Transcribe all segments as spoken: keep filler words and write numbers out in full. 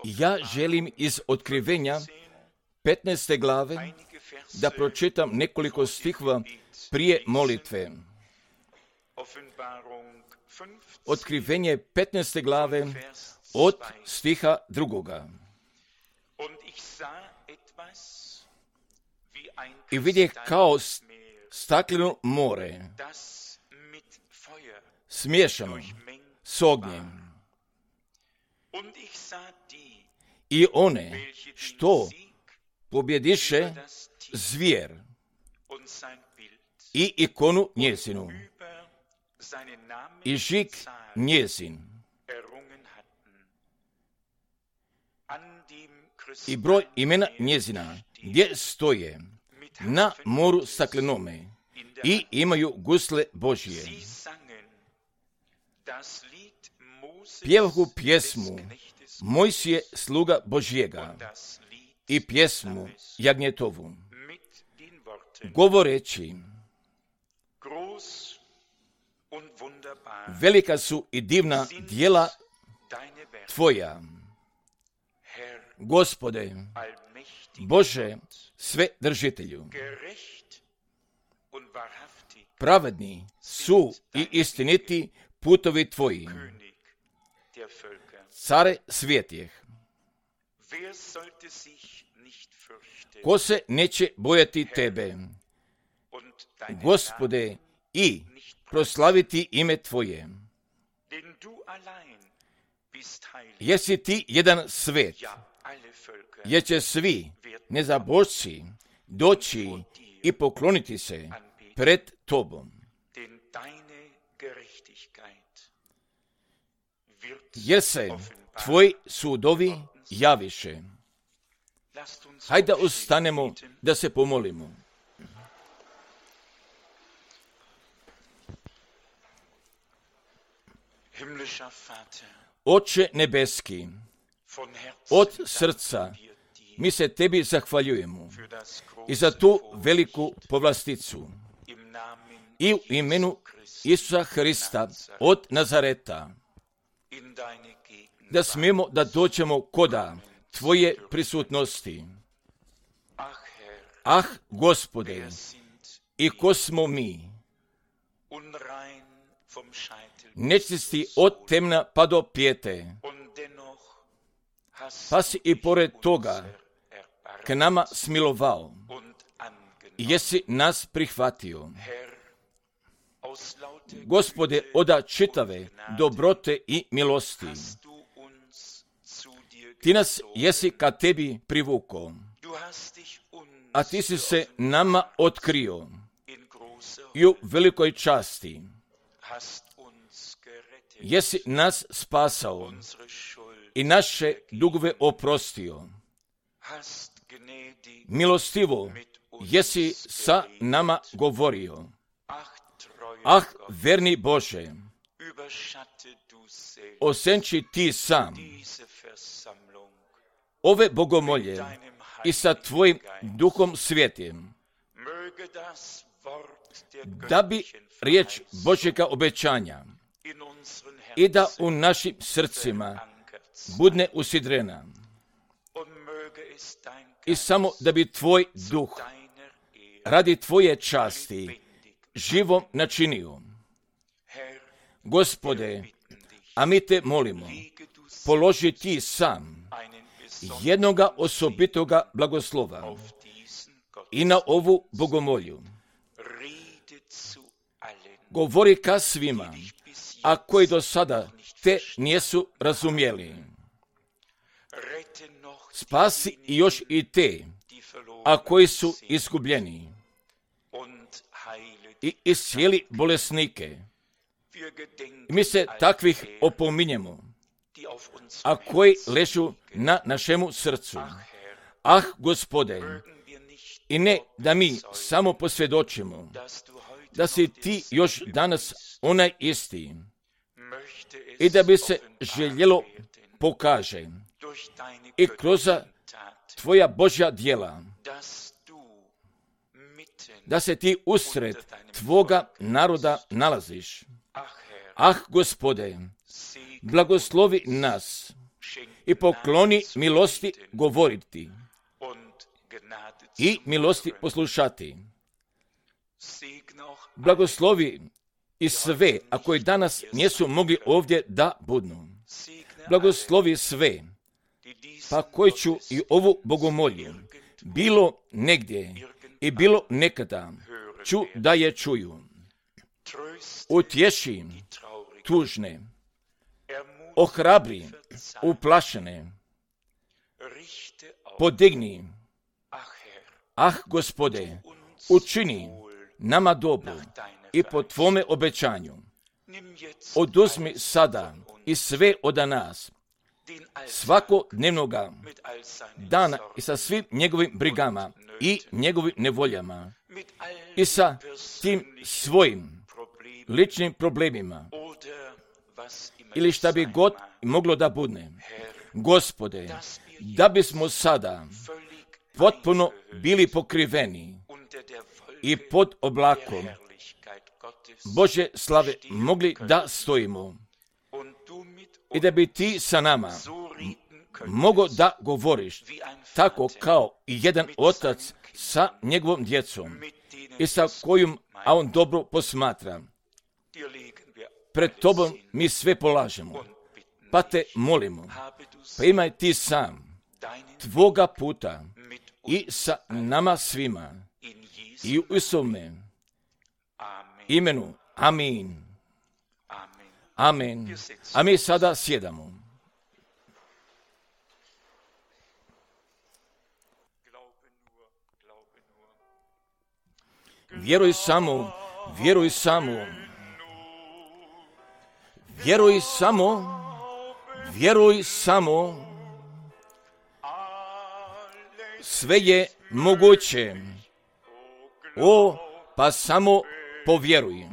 Ja želim iz Otkrivenja petnaeste glave da pročitam nekoliko stihova prije molitve. Otkrivenje petnaeste glave od stiha drugoga. I vidje kao stakleno more, smiješano s ognjem. I one što pobjediše zvijer i ikonu njezinu i žig njezin i broj imena njezina gdje stoje na moru staklenome i imaju gusle Božije. Pjevahu pjesmu Mojsije sluga Božjega i pjesmu Jagnjetovu, govoreći: velika su i divna djela Tvoja, Gospode, Bože Svedržitelju. Pravedni su i istiniti putovi Tvoji, Care svijetih. Ko se neće bojati Tebe, Gospode, i proslaviti ime Tvoje? Jesi Ti jedan svet, jer će svi nezabožci doći i pokloniti se pred Tobom. Jer se Tvoji sudovi javiše. Hajde da ustanemo da se pomolimo. Oče nebeski, od srca mi se Tebi zahvaljujemo i za tu veliku povlasticu i u imenu Isusa Hrista od Nazareta, da smijemo da dođemo koda Tvoje prisutnosti. Ah, Gospode, i ko smo mi, nečisti od temna pa do pijete, pa si i pored toga k nama smilovao i jesi nas prihvatio. Gospode, oda čitave dobrote i milosti, Ti nas jesi ka Tebi privukao, a Ti si se nama otkrio i u velikoj časti jesi nas spasao i naše dugove oprostio. Milostivo jesi sa nama govorio. Ah, verni Bože, osenči Ti sam ove bogomolje i sa Tvojim duhom svijetim, da bi riječ Božjega obećanja i da u našim srcima budne usidrena i samo da bi Tvoj duh radi Tvoje časti živom načinio. Gospode, a mi Te molimo, položi Ti sam jednoga osobitoga blagoslova i na ovu bogomolju. Govori ka svima, a koji do sada Te nijesu razumjeli. Spasi i još i te, a koji su izgubljeni. I iscijeli bolesnike. I mi se takvih opominjemo, a koji ležu na našemu srcu. Ah, Gospode, i ne da mi samo posvjedočimo da si Ti još danas onaj isti i da bi se željelo pokaže i kroz Tvoja Božja djela, da se Ti usred Tvoga naroda nalaziš. Ah, Gospode, blagoslovi nas i pokloni milosti govoriti i milosti poslušati. Blagoslovi i sve, a koji danas nisu mogli ovdje da budnu. Blagoslovi sve, pa koji ću i ovu bogomolju, bilo negdje i bilo nekada, ću da je čuju. Utješi tužne, ohrabri uplašene, podigni, ah Gospode, učini nama dobro i po Tvome obećanju. Oduzmi sada i sve od nas, svakodnevnoga dana i sa svim njegovim brigama i njegovim nevoljama i sa tim svojim ličnim problemima ili šta bi god moglo da budne. Gospode, da bismo sada potpuno bili pokriveni i pod oblakom Božje slave mogli da stojimo i da bi Ti sa nama mogo da govoriš tako kao i jedan otac sa njegovom djecom i sa kojom a on dobro posmatra. Pred Tobom mi sve polažemo, pa Te molimo, pa imaj Ti sam Tvoga puta i sa nama svima i u Isovome imenu. Amin. Amen. A mi sada sjedamo. Vjeruj samo, vjeruj samo, vjeruj samo, vjeruj samo, sve je moguće, o, pa samo povjeruj,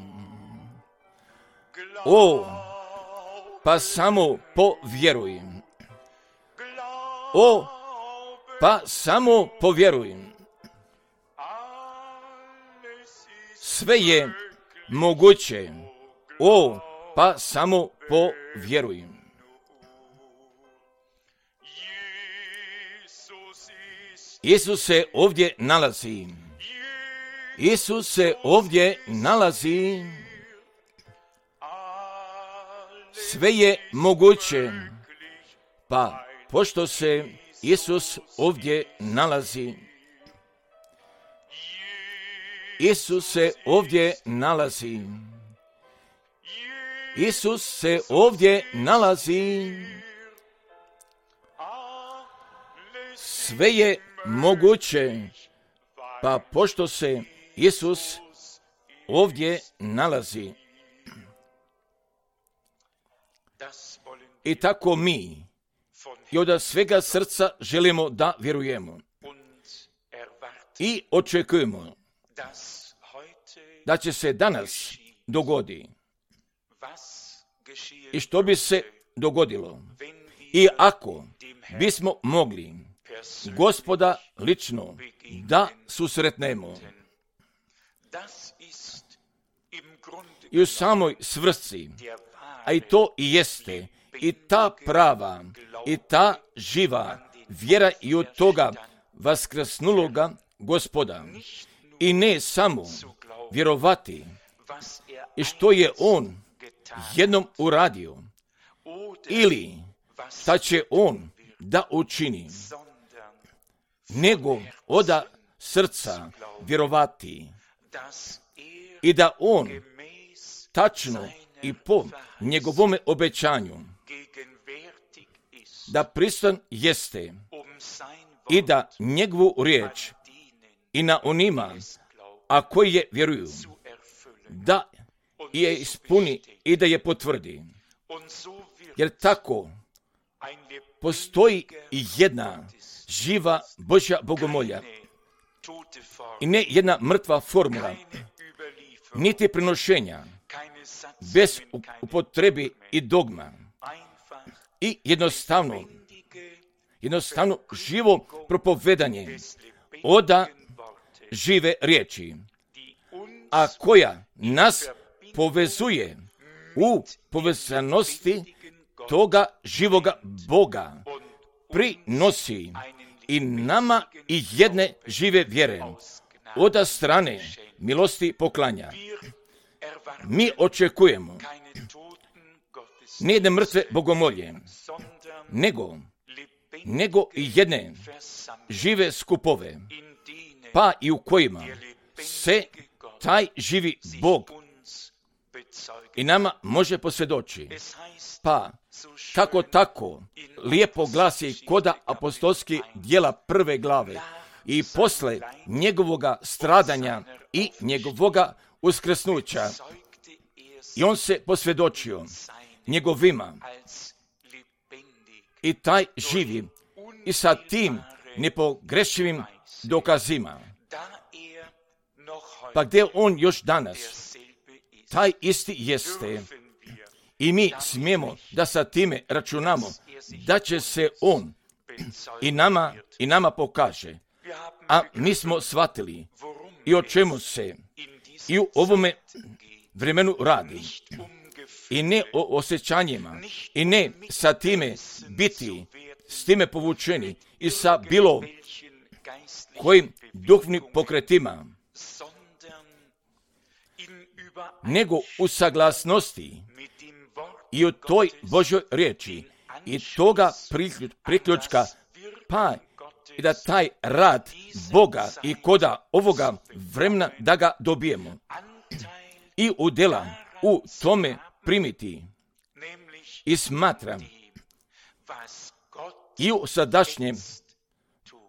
o, pa samo povjeruj, o, pa samo povjeruj. Sve je moguće, o, pa samo povjeruj. Isus se ovdje nalazi. Isus se ovdje nalazi. Sve je moguće, pa pošto se Isus ovdje nalazi, Isus se ovdje nalazi. Isus se ovdje nalazi. Sve je moguće, pa pošto se Isus ovdje nalazi. I tako mi i od svega srca želimo da vjerujemo i očekujemo da će se danas dogodi i što bi se dogodilo. I ako bismo mogli Gospoda lično da susretnemo i u samoj svrsi, a i to i jeste, i ta prava, i ta živa vjera i od toga vaskrsnuloga Gospoda. I ne samo vjerovati i što je On jednom uradio, ili šta će On da učini, nego oda srca vjerovati i da On tačno i po njegovome obećanju da prisutan jeste i da njegovu riječ i na onima, a koji je vjeruju, da je ispuni i da je potvrdi. Jer tako postoji i jedna živa Božja bogomolja i ne jedna mrtva formula, niti prenošenja, bez upotrebi i dogma. I jednostavno, jednostavno živo propovedanje oda žive riječi, a koja nas povezuje u povezanosti toga živoga Boga prinosi i nama i jedne žive vjere od strane milosti poklanja. Mi očekujemo ne jedne mrtve bogomolje, nego, nego i jedne žive skupove, pa i u kojima se taj živi Bog i nama može posvjedoči. Pa, kako tako, lijepo glasi koda apostolskih djela prve glave i posle njegovoga stradanja i njegovoga uskrsnuća. I on se posvjedočio njegovima i taj živi i sa tim nepogrešivim dokazima. Pa gdje on još danas, taj isti jeste. I mi smijemo da sa time računamo da će se on i nama, i nama pokaže. A mi smo shvatili i o čemu se i u ovome vremenu radi. I ne o osjećanjima, i ne sa time biti, s time povučeni i sa bilo kojim duhovnim pokretima, nego u saglasnosti i u toj Božoj riječi i toga priključka, pa i da taj rad Boga i koda ovoga vremena da ga dobijemo i udjela u tome primiti i smatram i u sadašnjem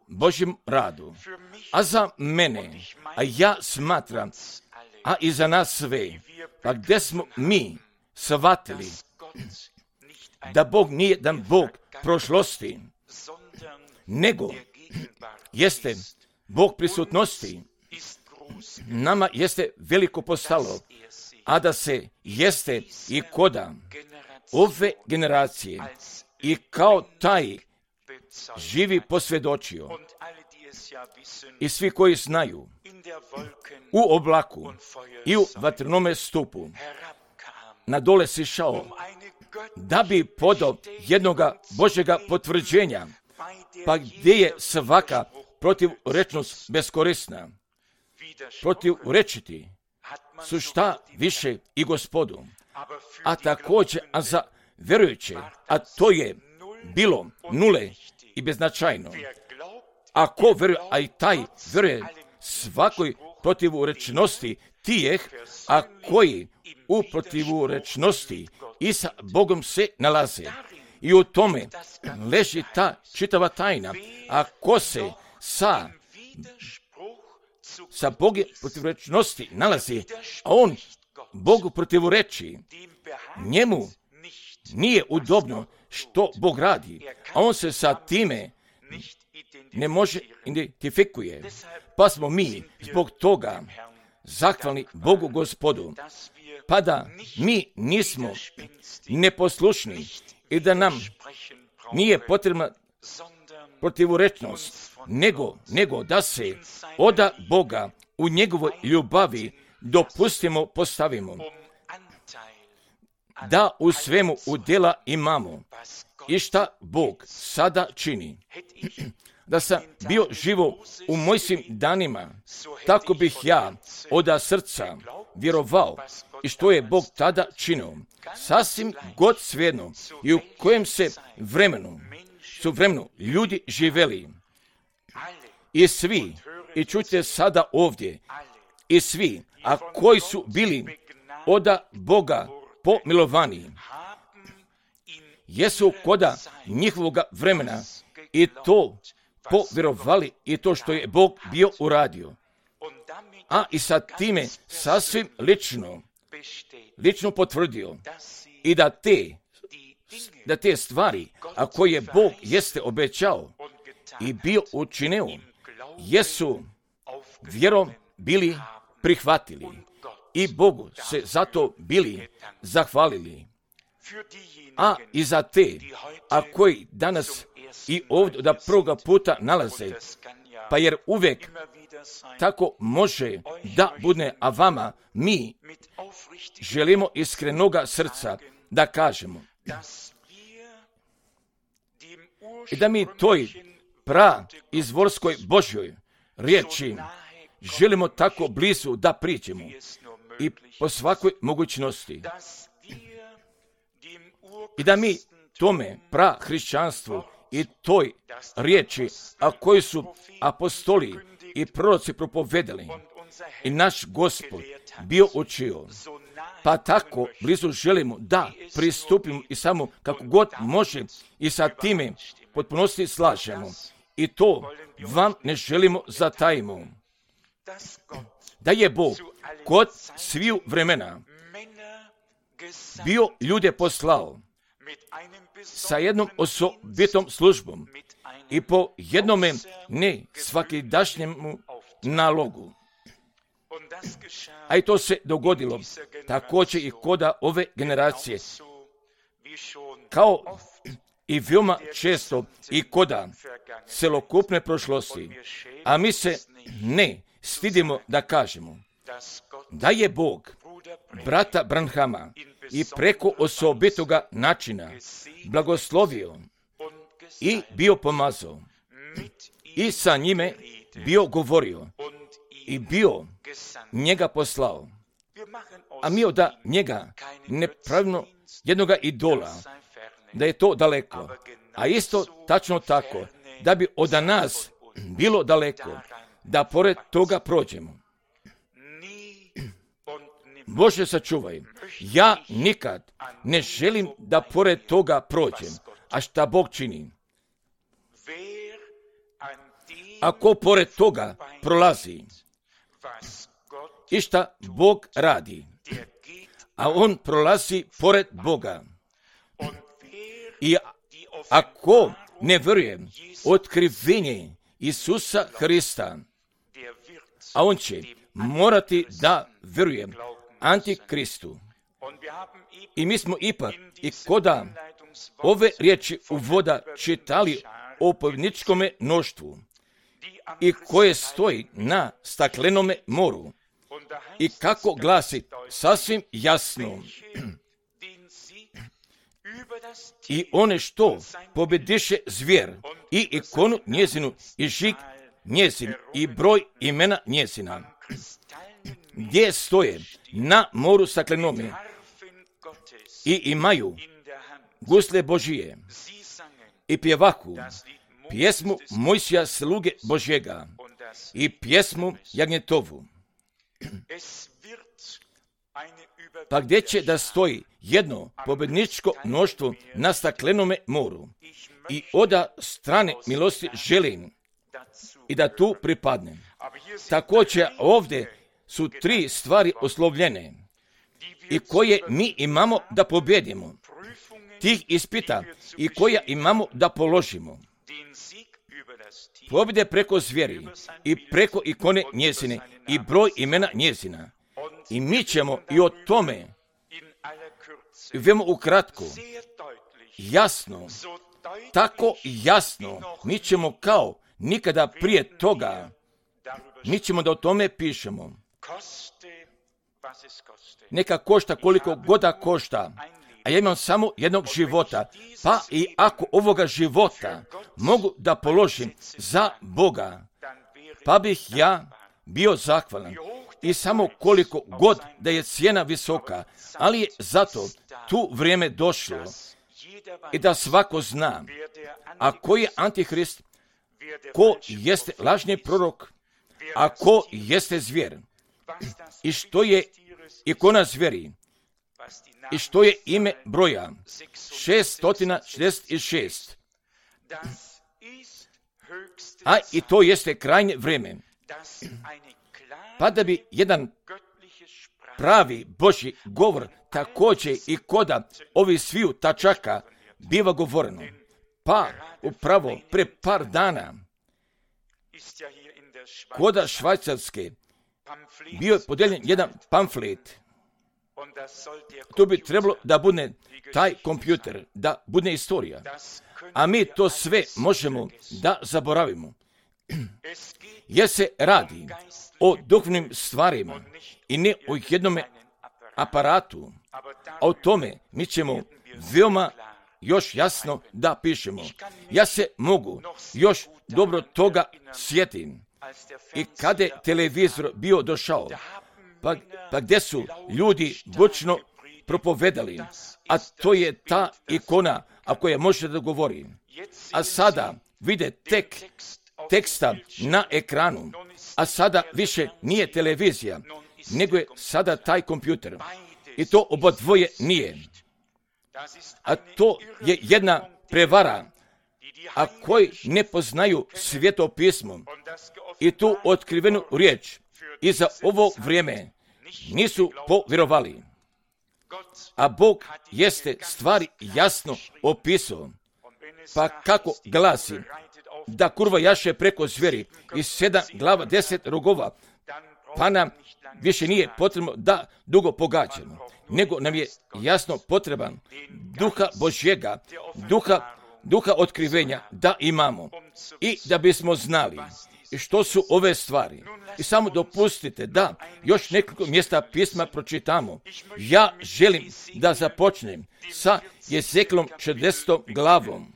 Božjem radu. A za mene, a ja smatram, a i za nas sve, pa gdje smo mi shvatili da Bog nije jedan Bog prošlosti, nego jeste Bog prisutnosti. Nama jeste veliko postalo, a da se jeste i koda ove generacije i kao taj živi posvjedočio. I svi koji znaju u oblaku i u vatrenome stupu na dole sišao da bi podao jednoga Božjega potvrđenja, pa gdje je svaka protivrečnost beskorisna. Protivrečiti su šta više i Gospodu, a također a za vjerujuće, a to je bilo nule i beznačajno. Ako vjeruje, a i taj vjeruje svakoj protivrečnosti tijeh, a koji u protivrečnosti i sa Bogom se nalaze. I u tome leži ta čitava tajna. Ako se sa, sa Bogom protivrečnosti nalazi, a on Bogu protivreči, njemu nije udobno što Bog radi, a on se sa time ne može identifikuje. Pa smo mi zbog toga zahvalni Bogu Gospodu, pa da mi nismo neposlušni i da nam nije potrebna protivrečnost, nego, nego da se oda Boga u njegovoj ljubavi dopustimo, postavimo, da u svemu udjela imamo i šta Bog sada čini. Da sam bio živo u mojim danima, tako bih ja od srca vjerovao i što je Bog tada činio. Sasvim god svejedno i u kojem se vremenu su vremenu ljudi živeli. I svi, i čujte sada ovdje, i svi, a koji su bili od Boga pomilovani, jesu koda njihovoga vremena i to povjerovali i to što je Bog bio uradio. A i sa time sasvim lično, lično potvrdio i da te, da te stvari, a koje Bog jeste obećao i bio učinio, jesu vjerom bili prihvatili i Bogu se zato bili zahvalili. A i za te, a koji danas i ovdje da prvoga puta nalaze, pa jer uvijek tako može da bude, a vama mi želimo iskrenoga srca da kažemo i da mi toj pra izvorskoj Božjoj riječi želimo tako blizu da priđemo i po svakoj mogućnosti. I da mi tome pra hrišćanstvu i toj riječi, a koji su apostoli i proroci propovedali i naš Gospod bio učio, pa tako blizu želimo da pristupimo i samo kako god može i sa time potpunosti slažemo. I to vam ne želimo zatajimo. Da je Bog kod sviju vremena bio ljude poslao sa jednom osobitom službom i po jednome ne svakidašnjemu nalogu. A i to se dogodilo također i koda ove generacije, kao i veoma često i koda celokupne prošlosti. A mi se ne stidimo da kažemo da je Bog brata Branhama i preko osobitoga načina blagoslovio i bio pomazao i sa njime bio govorio i bio njega poslao. A mi od njega ne pravimo jednoga idola, da je to daleko. A isto tačno tako, da bi od nas bilo daleko, da pored toga prođemo. Bože sačuvaj, ja nikad ne želim da pored toga prođem, a šta Bog čini. Ako pored toga prolazi i šta Bog radi, a on prolazi pored Boga. I ako ne vjeruje otkrivenje Isusa Hrista, a on će morati da vjeruje Antikristu. I mi smo ipak i koda ove riječi uvoda čitali o povjedničkome mnoštvu i koje stoji na staklenome moru i kako glasi sasvim jasno i one što pobjediše zvijer i ikonu njezinu i žig njezin i broj imena njezina, gdje stoje na moru staklenome i imaju gusle Božije i pjevahu pjesmu Mojsija sluge Božjega i pjesmu Jagnjetovu. Pa gdje će da stoji jedno pobjedničko mnoštvo na staklenome moru i oda strane milosti želim i da tu pripadnem. Također ovdje su tri stvari oslovljene i koje mi imamo da pobjedimo, tih ispita i koja imamo da položimo. Pobjede preko zvijeri i preko ikone njezine i broj imena njezina. I mi ćemo i o tome veoma ukratko, jasno, tako jasno, mi ćemo kao nikada prije toga, mi ćemo da o tome pišemo. Neka košta koliko god da košta, a ja imam samo jednog života, pa i ako ovoga života mogu da položim za Boga, pa bih ja bio zahvalan. I samo koliko god da je cijena visoka, ali je zato tu vrijeme došlo i da svako zna, a ko je Antihrist, ko jeste lažni prorok, a ko jeste zvijer, i što je ikona zvijeri, i što je ime broja šeststo šezdeset šest. A i to jeste krajnje vrijeme. Pa da bi jedan pravi Božji govor također i koda ovih sviju tačaka biva govoreno. Pa upravo pre par dana koda Švajcarske bio je podeljen jedan pamflet. To bi trebalo da bude taj kompjuter, da bude istorija. A mi to sve možemo da zaboravimo. Jer se radi o duhovnim stvarima i ne o jednome aparatu. A o tome mi ćemo veoma još jasno da pišemo. Ja se mogu još dobro toga sjetim. I kada je televizor bio došao, pa, pa gdje su ljudi bučno propovedali, a to je ta ikona, ako je može da govori. A sada vide tek teksta na ekranu, a sada više nije televizija, nego je sada taj kompjuter. I to obodvoje nije. A to je jedna prevara, a koji ne poznaju Sveto pismo i tu otkrivenu riječ i za ovo vrijeme nisu povjerovali. A Bog jeste stvari jasno opisao. Pa kako glasi da kurva jaše preko zveri i sedam glava deset rogova, pa nam više nije potrebno da dugo pogađamo, nego nam je jasno potreban duha Božjega, duha, duha otkrivenja da imamo i da bismo znali što su ove stvari. I samo dopustite da još nekoliko mjesta pisma pročitamo. Ja želim da započnem sa Jezekilom četrdesetom glavom.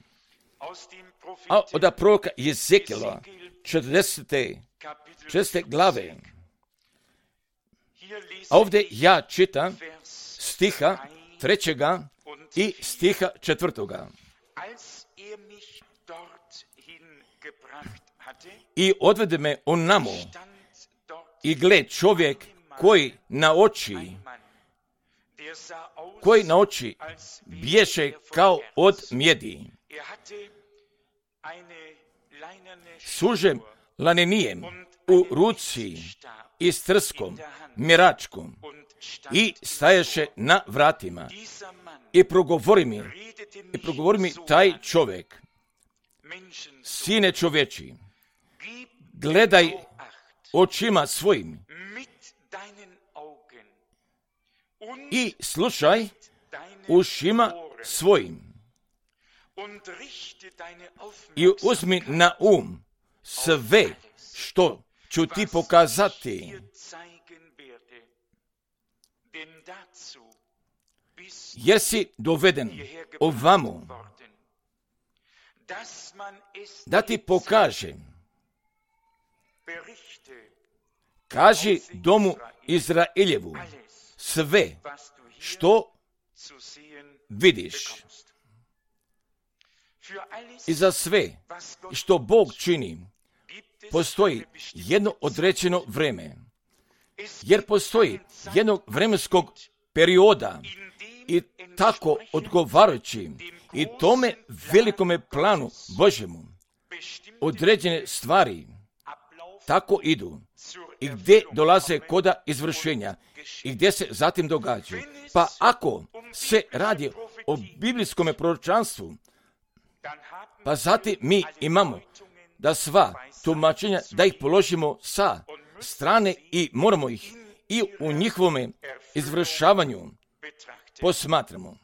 A od proroka Jezekila četrdesete glave. A ovdje ja čitam stiha trećega i stiha četvrtoga. I odvede me on namo, i gled čovjek koji na oči, koji na oči bješe kao od mjedi, sužem lanenijem u ruci i s trskom, mjeračkom, i staješe na vratima. I progovori mi, i progovori mi taj čovjek, sine čovječi, gledaj očima svojim i slušaj ušima svojim i uzmi na um sve što ću ti pokazati. Jer si doveden ovamo da ti pokažem. Kaži domu Izraeljevu sve što vidiš. I za sve što Bog čini postoji jedno određeno vrijeme. Jer postoji jednog vremenskog perioda i tako odgovarajući i tome velikome planu Božjemu određene stvari tako idu i gdje dolaze koda izvršenja i gdje se zatim događaju. Pa ako se radi o biblijskom proročanstvu, pa zatim mi imamo da sva tumačenja, da ih položimo sa strane i moramo ih i u njihovom izvršavanju posmatramo.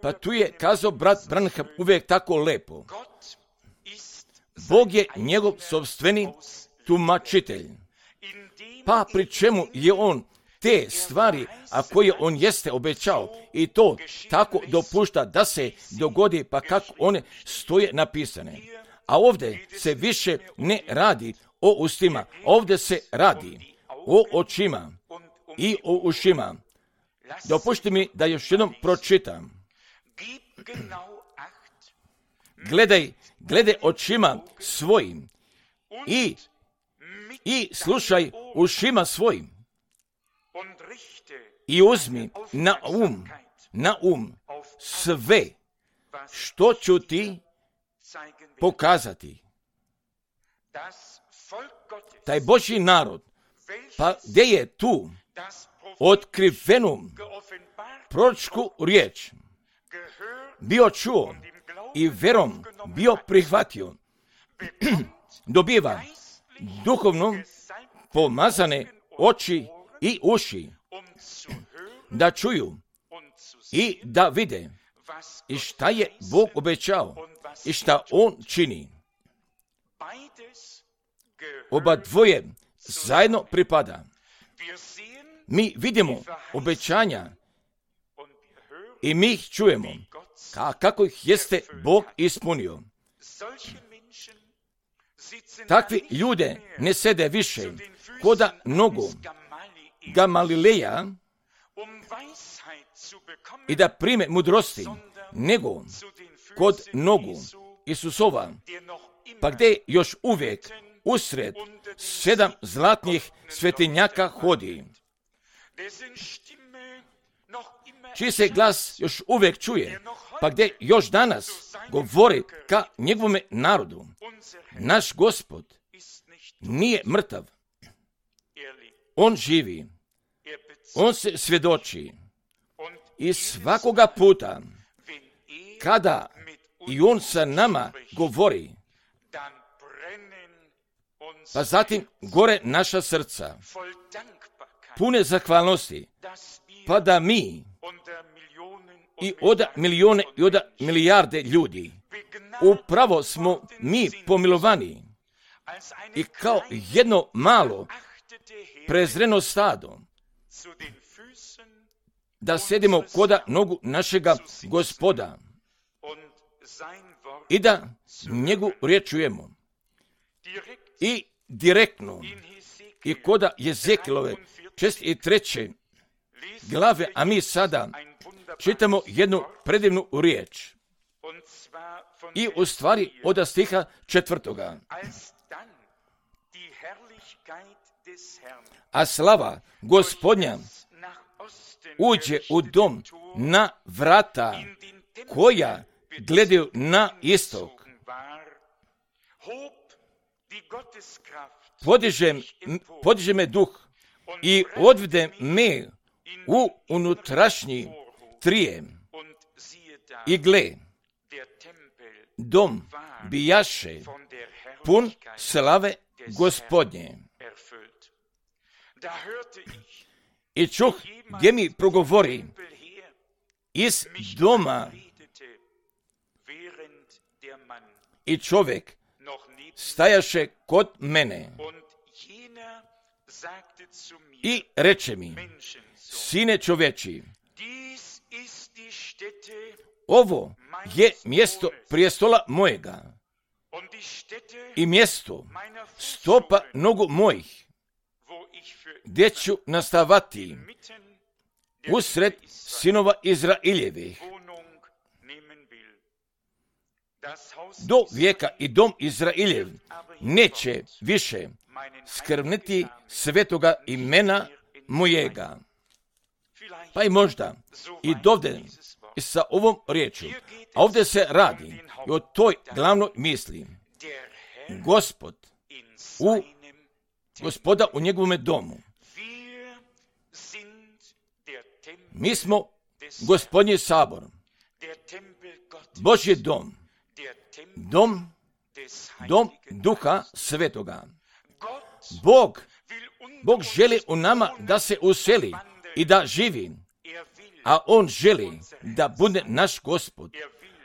Pa tu je kazao brat Branham uvijek tako lepo. Bog je njegov sopstveni tumačitelj. Pa pri čemu je on te stvari, a koje on jeste obećao, i to tako dopušta da se dogodi, pa kako one stoje napisane. A ovdje se više ne radi o ustima, ovdje se radi o očima i o ušima. Dopušti mi da još jednom pročitam. Gledaj, gledaj očima svojim i, i slušaj ušima svojim i uzmi na um, na um sve što ću ti pokazati. Taj Božji narod, pa gdje je tu otkrivenu proročku riječ bio čuo i verom bio prihvatio, dobiva duhovno pomazane oči i uši da čuju i da vide i šta je Bog obećao i šta on čini. Oba dvoje zajedno pripada. Mi vidimo obećanja i mi ih čujemo ka, kako ih jeste Bog ispunio. Takvi ljude ne sede više koda nogu Gamalileja i da prime mudrosti, nego kod nogu Isusova, pa gdje još uvijek usred sedam zlatnih svetinjaka hodi, čiji se glas još uvijek čuje, pa gdje još danas govori ka njegovome narodu. Naš Gospod nije mrtav. On živi. On se svjedoči. I svakoga puta, kada i on sa nama govori, pa zatim gore naša srca, pune zahvalnosti, pa da mi i od milijone i od milijarde ljudi upravo smo mi pomilovani i kao jedno malo prezreno stado da sedimo koda nogu našega Gospoda i da njegu riječ čujemo. I direktno i koda Jezekilove čest i treće glave, a mi sada čitamo jednu predivnu riječ. I u stvari od stiha četvrtoga. A slava Gospodnja uđe u dom na vrata koja gledaju na istok. Podiže, podiže me duh i odvede me u unutrašnji trijem. I gle, dom bijaše pun slave Gospodnje. I čuh gdje mi progovori iz doma i čovjek stajaše kod mene i reče mi, sine čovječi, ovo je mjesto prijestola mojega i mjesto stopa nogu mojih, gdje ću nastavati usred sinova Izraeljevih. Do vijeka i dom Izraeljev neće više skrbniti svetoga imena mojega. Pa i možda i dovde i sa ovom riječu. A ovdje se radi i o toj glavnoj misli. Gospod u Gospoda u njegovome domu. Mi smo Gospodnji sabor, Božji dom, dom, dom Duha Svetoga. Bog, Bog želi u nama da se useli i da živi, a On želi da bude naš Gospod,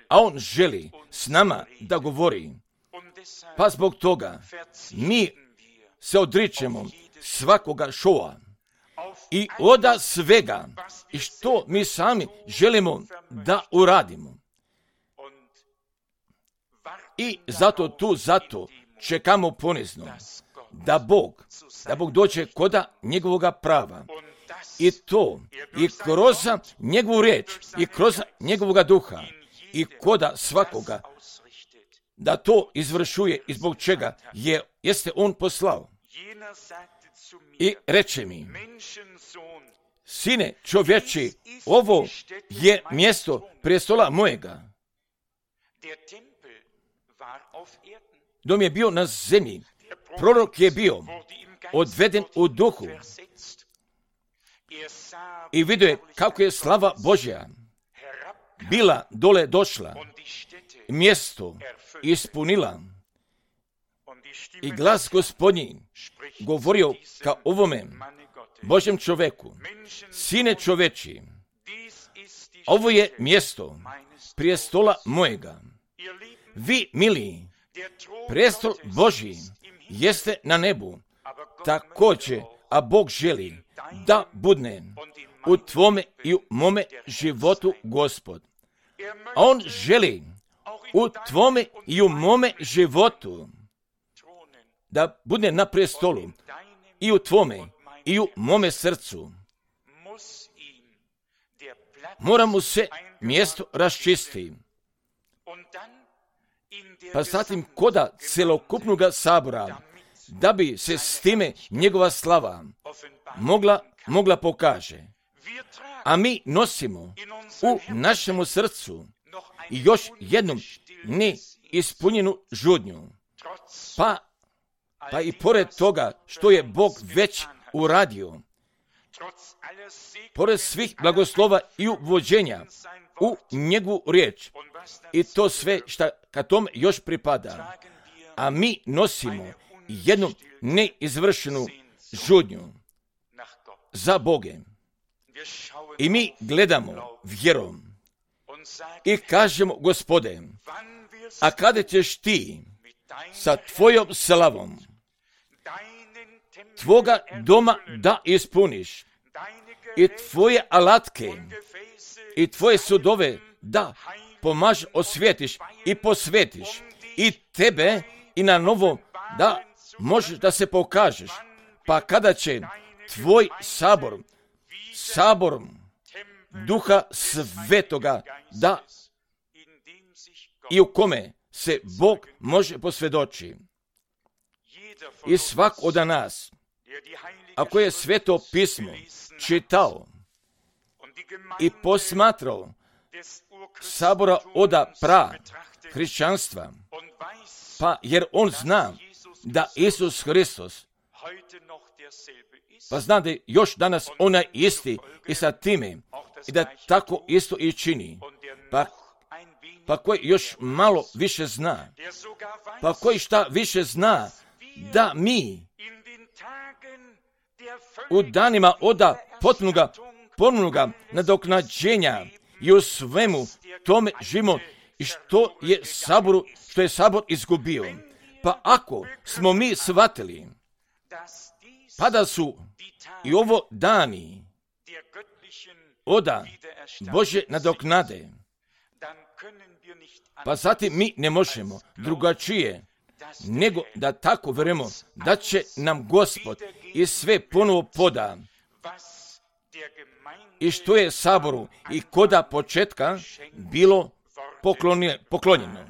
a On želi s nama da govori. Pa zbog toga mi se odričemo svakoga šoa i oda svega i što mi sami želimo da uradimo. I zato tu, zato čekamo ponizno da Bog, da Bog dođe koda njegovoga prava. I to, i kroz njegovu riječ, i kroz njegovoga duha, i koda svakoga, da to izvršuje i zbog čega je, jeste on poslao. I reče mi, sine čovječi, ovo je mjesto prijestola mojega. Dom je bio na zemlji, prorok je bio odveden u duhu i vidio je kako je slava Božja bila dole došla, mjesto ispunila i glas Gospodnji govorio ka ovome Božjem čoveku, sine čoveči, ovo je mjesto prijestola mojega. Vi, mili, prijestol Božji jeste na nebu, također, a Bog želi da budne u tvome i u mome životu Gospod. A on želi u tvome i u mome životu da bude na prestolu, i u tvome i u mome srcu. Mora mu se mjesto raščisti. Pa zatim koda celokupnog sabora, da bi se s time njegova slava mogla, mogla pokaže. A mi nosimo u našemu srcu još jednu neispunjenu žudnju. Pa, pa i pored toga što je Bog već uradio, pored svih blagoslova i uvođenja u njegovu riječ, i to sve što ka tome još pripada, a mi nosimo jednu neizvršenu žudnju za Boge. I mi gledamo vjerom i kažemo, Gospode, a kada ćeš ti sa tvojom slavom tvoga doma da ispuniš i tvoje alatke i tvoje sudove da pomaž, osvjetiš i posvetiš i tebe i na novo da možeš da se pokažeš. Pa kada će tvoj sabor, sabor Duha Svetoga, da i u kome se Bog može posvjedoči. I svak od nas, ako je Sveto pismo čitao i posmatrao sabora oda pra hrišćanstva, pa jer on zna da Isus Hristos, pa zna da je još danas onaj isti i sa time, i da tako isto i čini, pa, pa koji još malo više zna, pa koji šta više zna, da mi u danima oda potpunoga, ponovnoga nadoknađenja i u svemu tome živimo i što je saboru, što je sabor izgubio. Pa ako smo mi shvatili, pa da su i ovo dani oda Bože nadoknade, pa zatim mi ne možemo drugačije nego da tako verujemo da će nam Gospod i sve ponovo poda i što je saboru i koda početka bilo poklonjeno.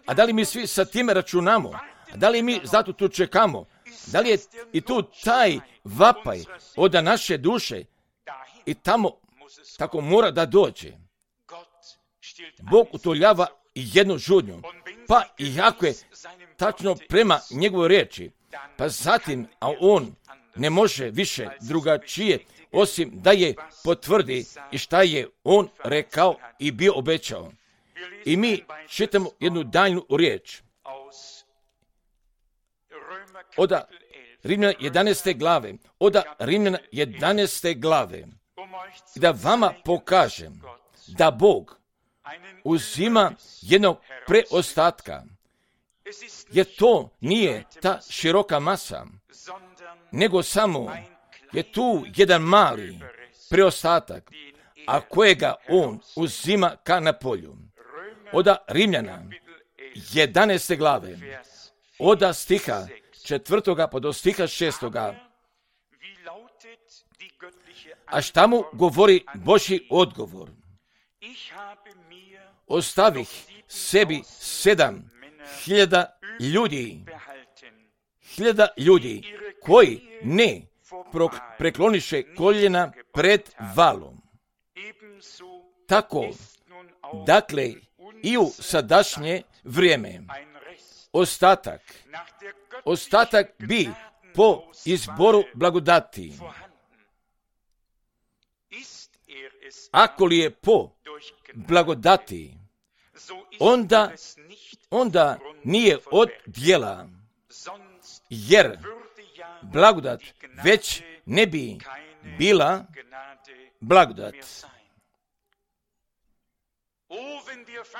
A da li mi svi sa time računamo? A da li mi zato tu čekamo? Da li je i tu taj vapaj od naše duše i tamo tako mora da dođe? Bog utoljava jednu žudnju, pa i ako je tačno prema njegovoj riječi, pa zatim, a on ne može više drugačije osim da je potvrdi i šta je on rekao i bio obećao. I mi čitamo jednu daljnu riječ od Rimljana jedanaeste glave, od Rimljana jedanaeste glave, da vama pokažem da Bog uzima jednog preostatka, jer to nije ta široka masa, nego samo je tu jedan mali preostatak, a kojega on uzima ka na polju. Od Rimljana jedanaeste glave, od stiha četvrtoga pa do stiha šestoga. A šta mu govori Božji odgovor? Ostavih sebi sedam hiljada ljudi, hiljada ljudi koji ne prekloniše koljena pred valom. Tako, dakle, i u sadašnje vrijeme, ostatak, ostatak bi po izboru blagodati. Ako li je po blagodati, onda, onda nije od djela, jer blagodat već ne bi bila blagodat.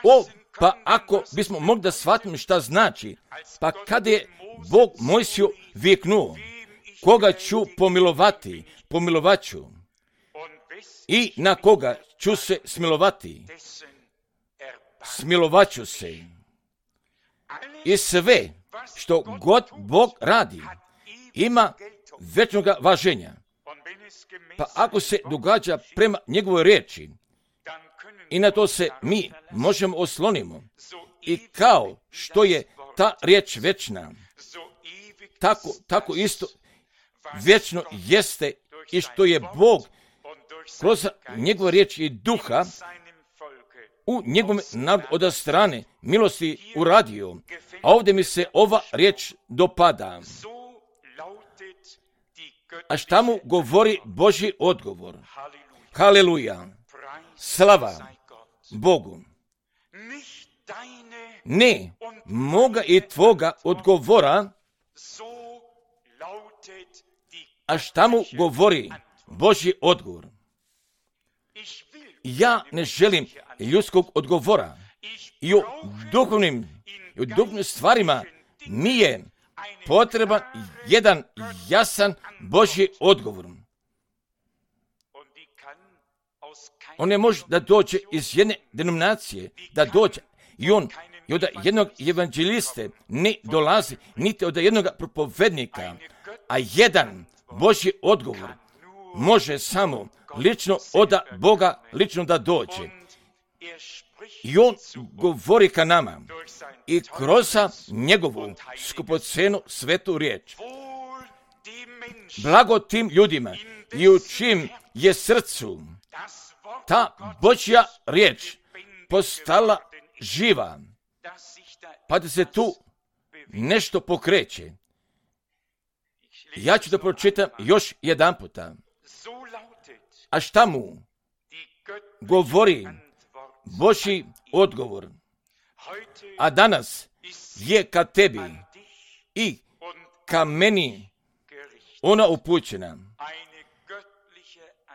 O, pa ako bismo mogli da shvatimo šta znači, pa kada je Bog Mojsiju viknuo, koga ću pomilovati, pomilovat ću, i na koga ću se smilovati, smilovaću se. I sve što god Bog radi ima večnoga važenja. Pa ako se događa prema njegovoj riječi i na to se mi možemo oslonimo i kao što je ta riječ večna, tako, tako isto vječno jeste i što je Bog kroz njegove riječi i duha u njegovom narodu od strane milosti uradio. A ovdje mi se ova riječ dopada. A šta mu govori Božji odgovor? Haleluja! Slava Bogu! Ne moga i tvoga odgovora. A šta mu govori Božji odgovor? Ja ne želim ljudskog odgovora. I u duhovnim, i u duhovnim stvarima mi je potreban jedan jasan Božji odgovor. On ne može da dođe iz jedne denominacije, da dođe i on i od jednog evanđeliste ne dolazi, niti od jednog propovednika, a jedan Božji odgovor može samo lično od Boga lično da dođe. I on govori ka nama i kroz njegovu skupocenu svetu riječ. Blago tim ljudima i u čim je srcu ta Božja riječ postala živa, pa da se tu nešto pokreće. Ja ću da pročitam još jedan puta. A šta mu govori Božji odgovor? A danas je ka tebi i ka meni ona upućena.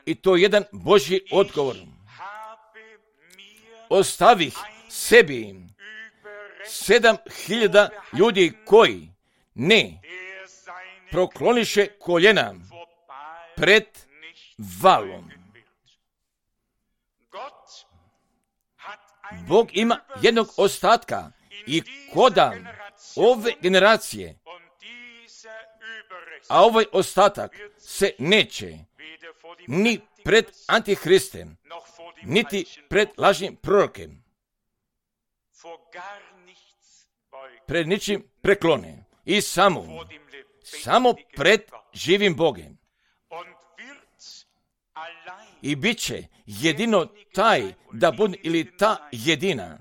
I to je jedan Božji odgovor. Ostavih sebi sedam hiljada ljudi koji ne prokloniše koljena pred valom. Bog ima jednog ostatka i koda ove generacije, a ovaj ostatak se neće ni pred Antihristem, niti pred lažnim prorokem, pred ničim preklone i samo, samo pred živim Bogem. I bit će jedino taj da bude ili ta jedina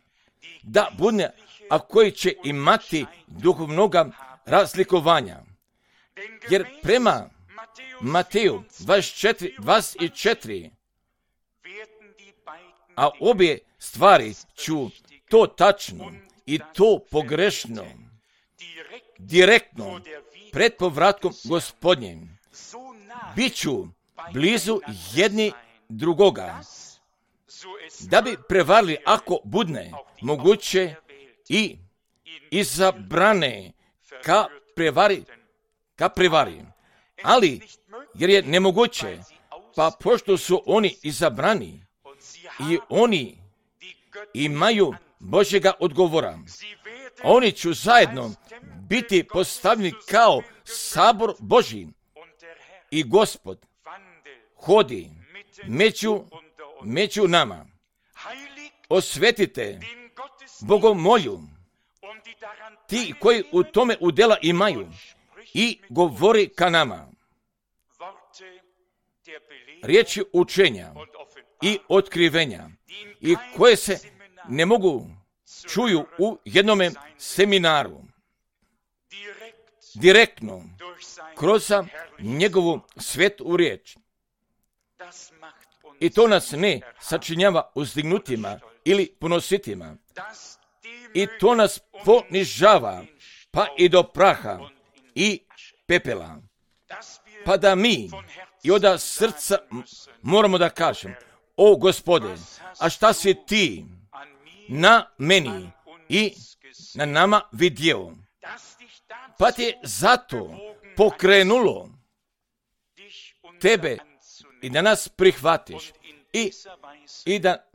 da bude, a koji će imati duhovnoga razlikovanja. Jer prema Mateju dvadeset četiri dvadeset četiri, a obje stvari ću to tačno i to pogrešno, direktno pred povratkom Gospodnjim, bit ću blizu jedni drugoga, da bi prevarili, ako budne moguće, i izabrane ka prevari, ka prevari. Ali, jer je nemoguće, pa pošto su oni izabrani i oni imaju Božjega odgovora, oni će zajedno biti postavljeni kao sabor Božji i Gospod hodi među, među nama. Osvetite bogomolju ti koji u tome udjela imaju i govori ka nama. Riječi učenja i otkrivenja i koje se ne mogu čuju u jednome seminaru. Direktno kroz njegovu svetu riječ. I to nas ne sačinjava uzdignutima ili ponositima. I to nas ponižava pa i do praha i pepela. Pa da mi i od srca moramo da kažem: o Gospode, a šta si ti na meni i na nama vidio? Pa ti je zato pokrenulo tebe i da nas prihvatiš i, i da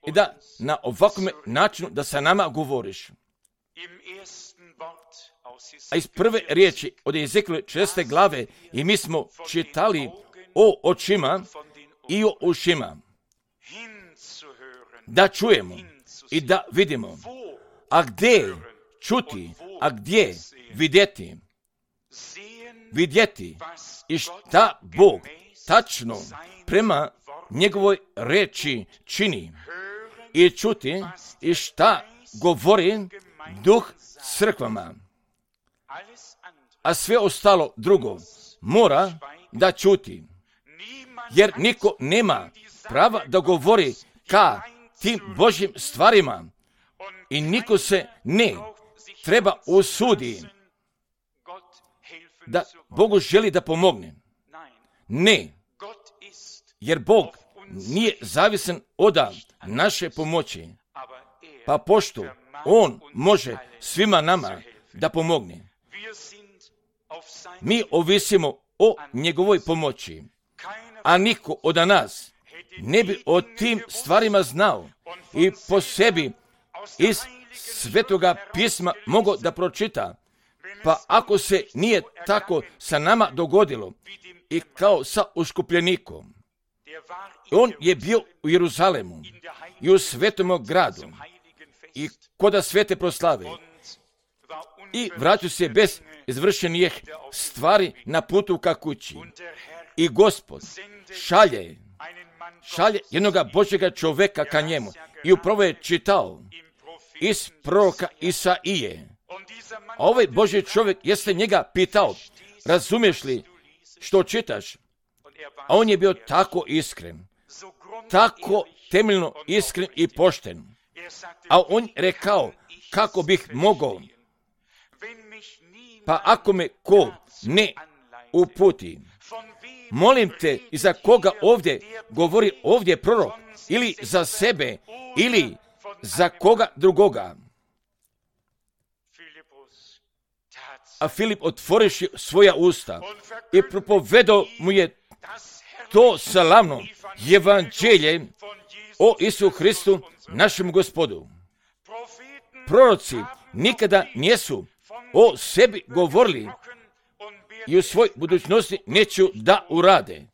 i da na ovakvom načinu da sa nama govoriš. A iz prve riječi od Ezekijela četrnaeste glave i mi smo čitali o očima i o ušima, da čujemo i da vidimo. A gdje čuti, a gdje vidjeti? Vidjeti i šta Bog tačno prema njegovoj reči čini i čuti i šta govori Duh crkvama. A sve ostalo drugo mora da čuti, jer niko nema prava da govori ka tim Božjim stvarima i niko se ne treba usudi da Bogu želi da pomogne. Ne, jer Bog nije zavisan od naše pomoći, pa pošto On može svima nama da pomogne, mi ovisimo o njegovoj pomoći, a niko od nas ne bi o tim stvarima znao i po sebi iz Svetoga pisma mogao da pročita. Pa ako se nije tako sa nama dogodilo i kao sa uskupljenikom, on je bio u Jeruzalemu i u svetom gradu i koda svete proslave i vratio se bez izvršenih stvari na putu ka kući. I Gospod šalje, šalje jednoga Božjega čoveka ka njemu i upravo je čitao iz proroka Isaije. A ovaj Božji čovjek jeste njega pitao, razumiješ li što čitaš? A on je bio tako iskren, tako temeljno iskren i pošten. A on rekao, kako bih mogao? Pa ako me ko ne uputi, molim te, i za koga ovdje govori ovdje prorok, ili za sebe, ili za koga drugoga. A Filip otvoriši svoja usta i propovedao mu je to slavno evanđelje o Isu Hristu, našem Gospodu. Proroci nikada nisu o sebi govorili i u svoj budućnosti neću da urade.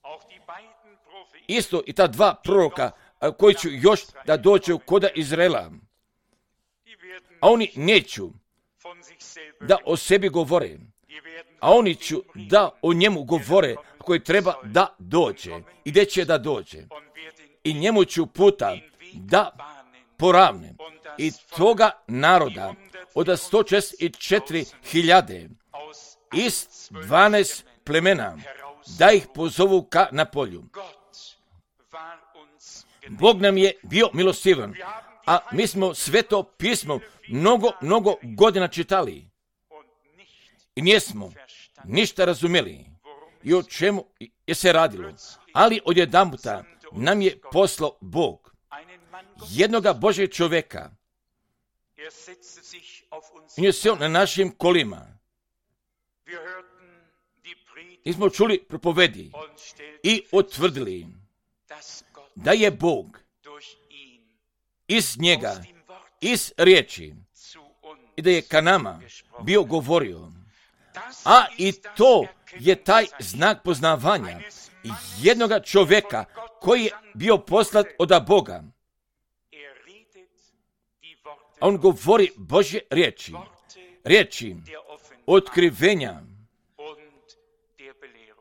Isto i ta dva proroka koji će još da dođu koda Izraela. A oni neću da o sebi govore, a oni ću da o njemu govore koji treba da dođe i gdje će da dođe. I njemu ću puta da poravne i toga naroda od sto šezdeset četiri hiljade iz dvanaest plemena da ih pozovu ka na polju. Bog nam je bio milostivan, a mi smo sveto pismo mnogo, mnogo godina čitali i nismo ništa razumjeli i o čemu je se radilo. Ali odjedanputa nam je poslao Bog jednoga Božjeg čovjeka. I je seo na našim kolima. I smo čuli propovedi i utvrdili da je Bog iz njega, iz riječi, i da je ka nama bio govorio. A i to je taj znak poznavanja jednoga čovjeka koji je bio poslat od Boga. A on govori Božje riječi, riječi otkrivenja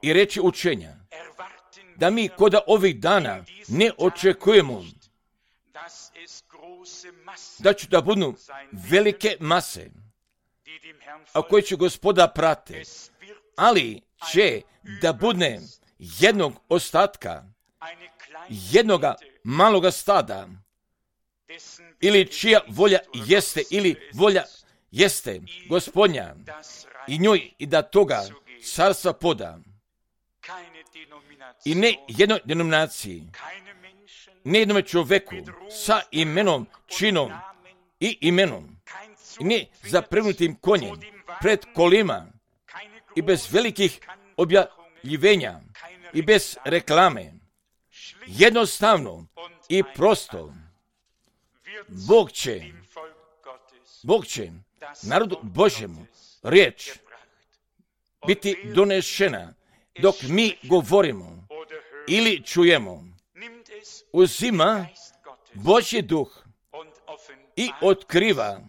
i riječi učenja. Da mi koda ovih dana ne očekujemo da će da budu velike mase, a koji će Gospoda prate, ali će da bude jednog ostatka, jednoga maloga stada, ili čija volja jeste, ili volja jeste Gospodnja, i njoj i da toga carstva poda. I ne jednoj denominaciji, ne jednome čoveku sa imenom, činom i imenom, i ne zapregnutim konjem pred kolima i bez velikih objavljivenja i bez reklame. Jednostavno i prosto Bog će, Bog će narodu Božjemu riječ biti donešena dok mi govorimo ili čujemo. Uzima Božji duh i otkriva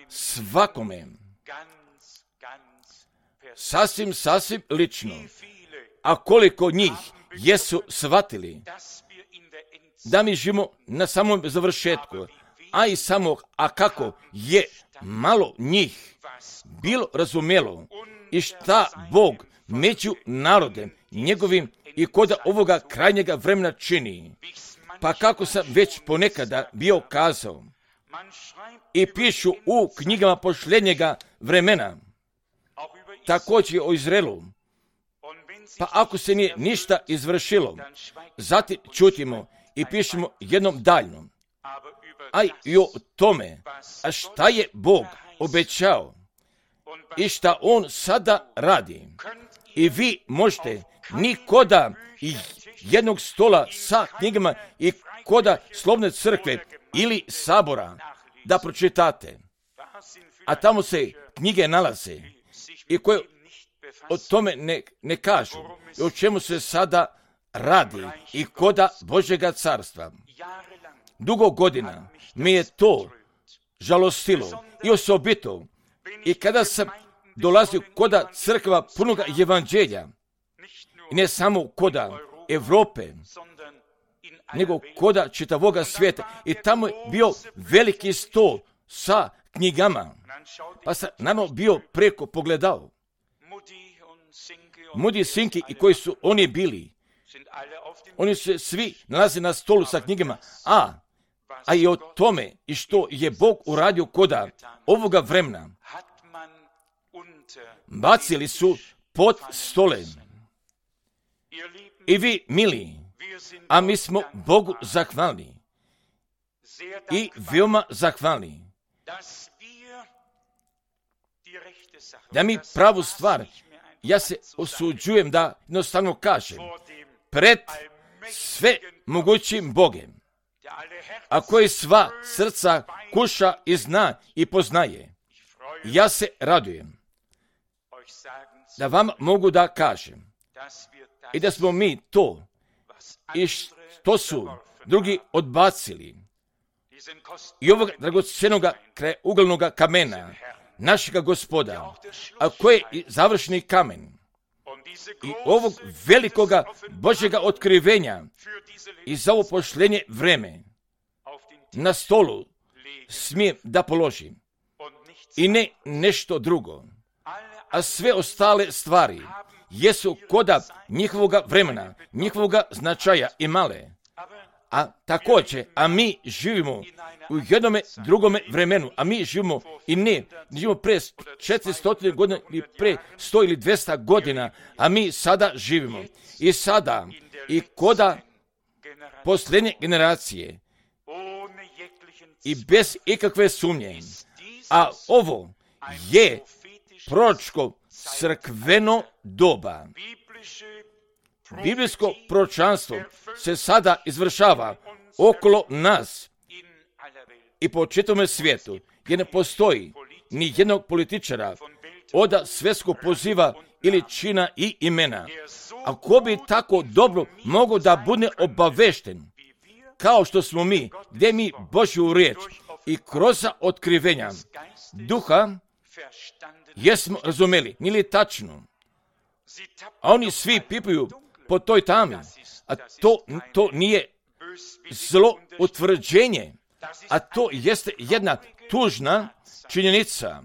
svakome sasvim, sasvim lično. A koliko njih jesu shvatili da mi živimo na samom završetku, a i samo, a kako je malo njih bilo razumjelo i šta Bog među narodem njegovim i kod ovoga krajnjega vremena čini. Pa kako sam već ponekada bio kazao i pišu u knjigama posljednjega vremena, također o Izraelu. Pa ako se nije ništa izvršilo, zatim čutimo i pišemo jednom daljnom. A i o tome, a šta je Bog obećao i šta On sada radi. I vi možete nikoda i jednog stola sa knjigama i koda Slovne crkve ili sabora da pročitate. A tamo se knjige nalaze i koje o tome ne, ne kažu. I o čemu se sada radi i koda Božjega carstva. Dugo godina mi je to žalostilo i osobito. I kada sam dolazio koda crkva punoga evanđelja, i ne samo koda Evrope, nego koda čitavoga svijeta. I tamo je bio veliki stol sa knjigama. Pa sam naravno bio preko pogledao. Mudi i Sinki i koji su oni bili, oni se svi nalaze na stolu sa knjigama, a, a i o tome i što je Bog uradio koda ovoga vremena, bacili su pod stole. I vi, mili, a mi smo Bogu zahvalni i veoma zahvalni da mi pravu stvar, ja se osuđujem da jednostavno kažem, pred sve mogućim Bogem, a koji sva srca kuša i zna i poznaje, ja se radujem da vam mogu da kažem i da smo mi to i što su drugi odbacili i ovog dragocjenoga krajeuglednoga kamena našega Gospoda, a koji je završni kamen i ovog velikoga Božjega otkrivenja i za ovo posljednje vreme na stolu smijem da položim i ne nešto drugo, a sve ostale stvari jesu koda njihovoga vremena, njihovoga značaja i male. A također, a mi živimo u jednome drugome vremenu, a mi živimo i ne, živimo pre četiristo godina ili pre sto ili dvjesto godina, a mi sada živimo. I sada, i koda posljednje generacije, i bez ikakve sumnje, a ovo je proročko crkveno doba. Biblijsko proročanstvo se sada izvršava okolo nas i po čitavom svijetu, jer ne postoji ni jednog političara od svjetskog poziva ili čina i imena. A ko bi tako dobro mogao da bude obavešten, kao što smo mi, gdje mi Božju riječ i kroz otkrivenja duha jesmo razumeli, nije li tačno? A oni svi pipaju po toj tami, a to, to nije zlo utvrđenje, a to jeste jedna tužna činjenica.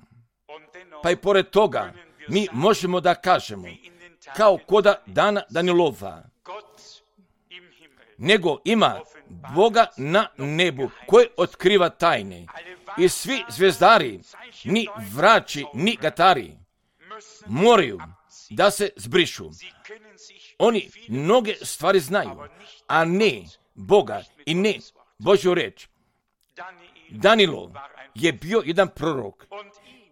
Pa i pored toga mi možemo da kažemo, kao koda dana Danilova, nego ima Boga na nebu koji otkriva tajne. I svi zvezdari, ni vrači, ni gatari, moraju da se zbrišu. Oni mnoge stvari znaju, a ne Boga i ne Božju reč. Danilo je bio jedan prorok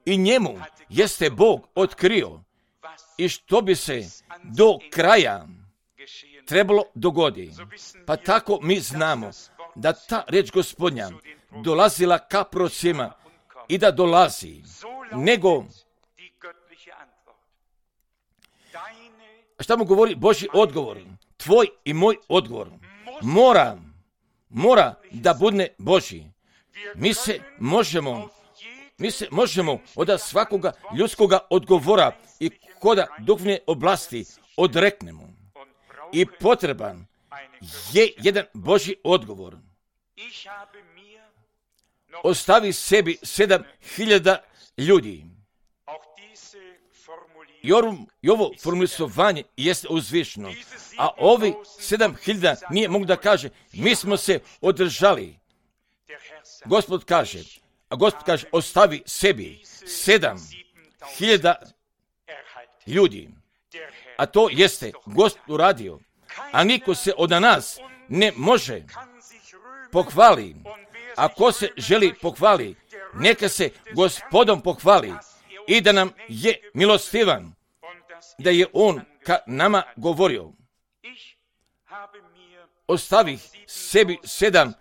i njemu jeste Bog otkrio i što bi se do kraja trebalo dogodi. Pa tako mi znamo da ta riječ Gospodnja dolazila ka prorocima i da dolazi, nego šta mu govori Božji odgovor? Tvoj i moj odgovor mora, mora da bude Božji. Mi se možemo, mi se možemo od svakoga ljudskoga odgovora i koda duhovne oblasti odreknemo. I potreban je jedan Božji odgovor. Ostavi sebi sedam hiljada ljudi. I ovo formulisovanje jeste uzvišno, a ovi sedam hiljada nije mogu da kaže, mi smo se održali. Gospod kaže, a Gospod kaže, ostavi sebi sedam hiljada ljudi. A to jeste Gospod uradio. A niko se od nas ne može pohvali. A ko se želi pohvali, neka se Gospodom pohvali i da nam je milostivan, da je on ka nama govorio. Ostavi sebi sedam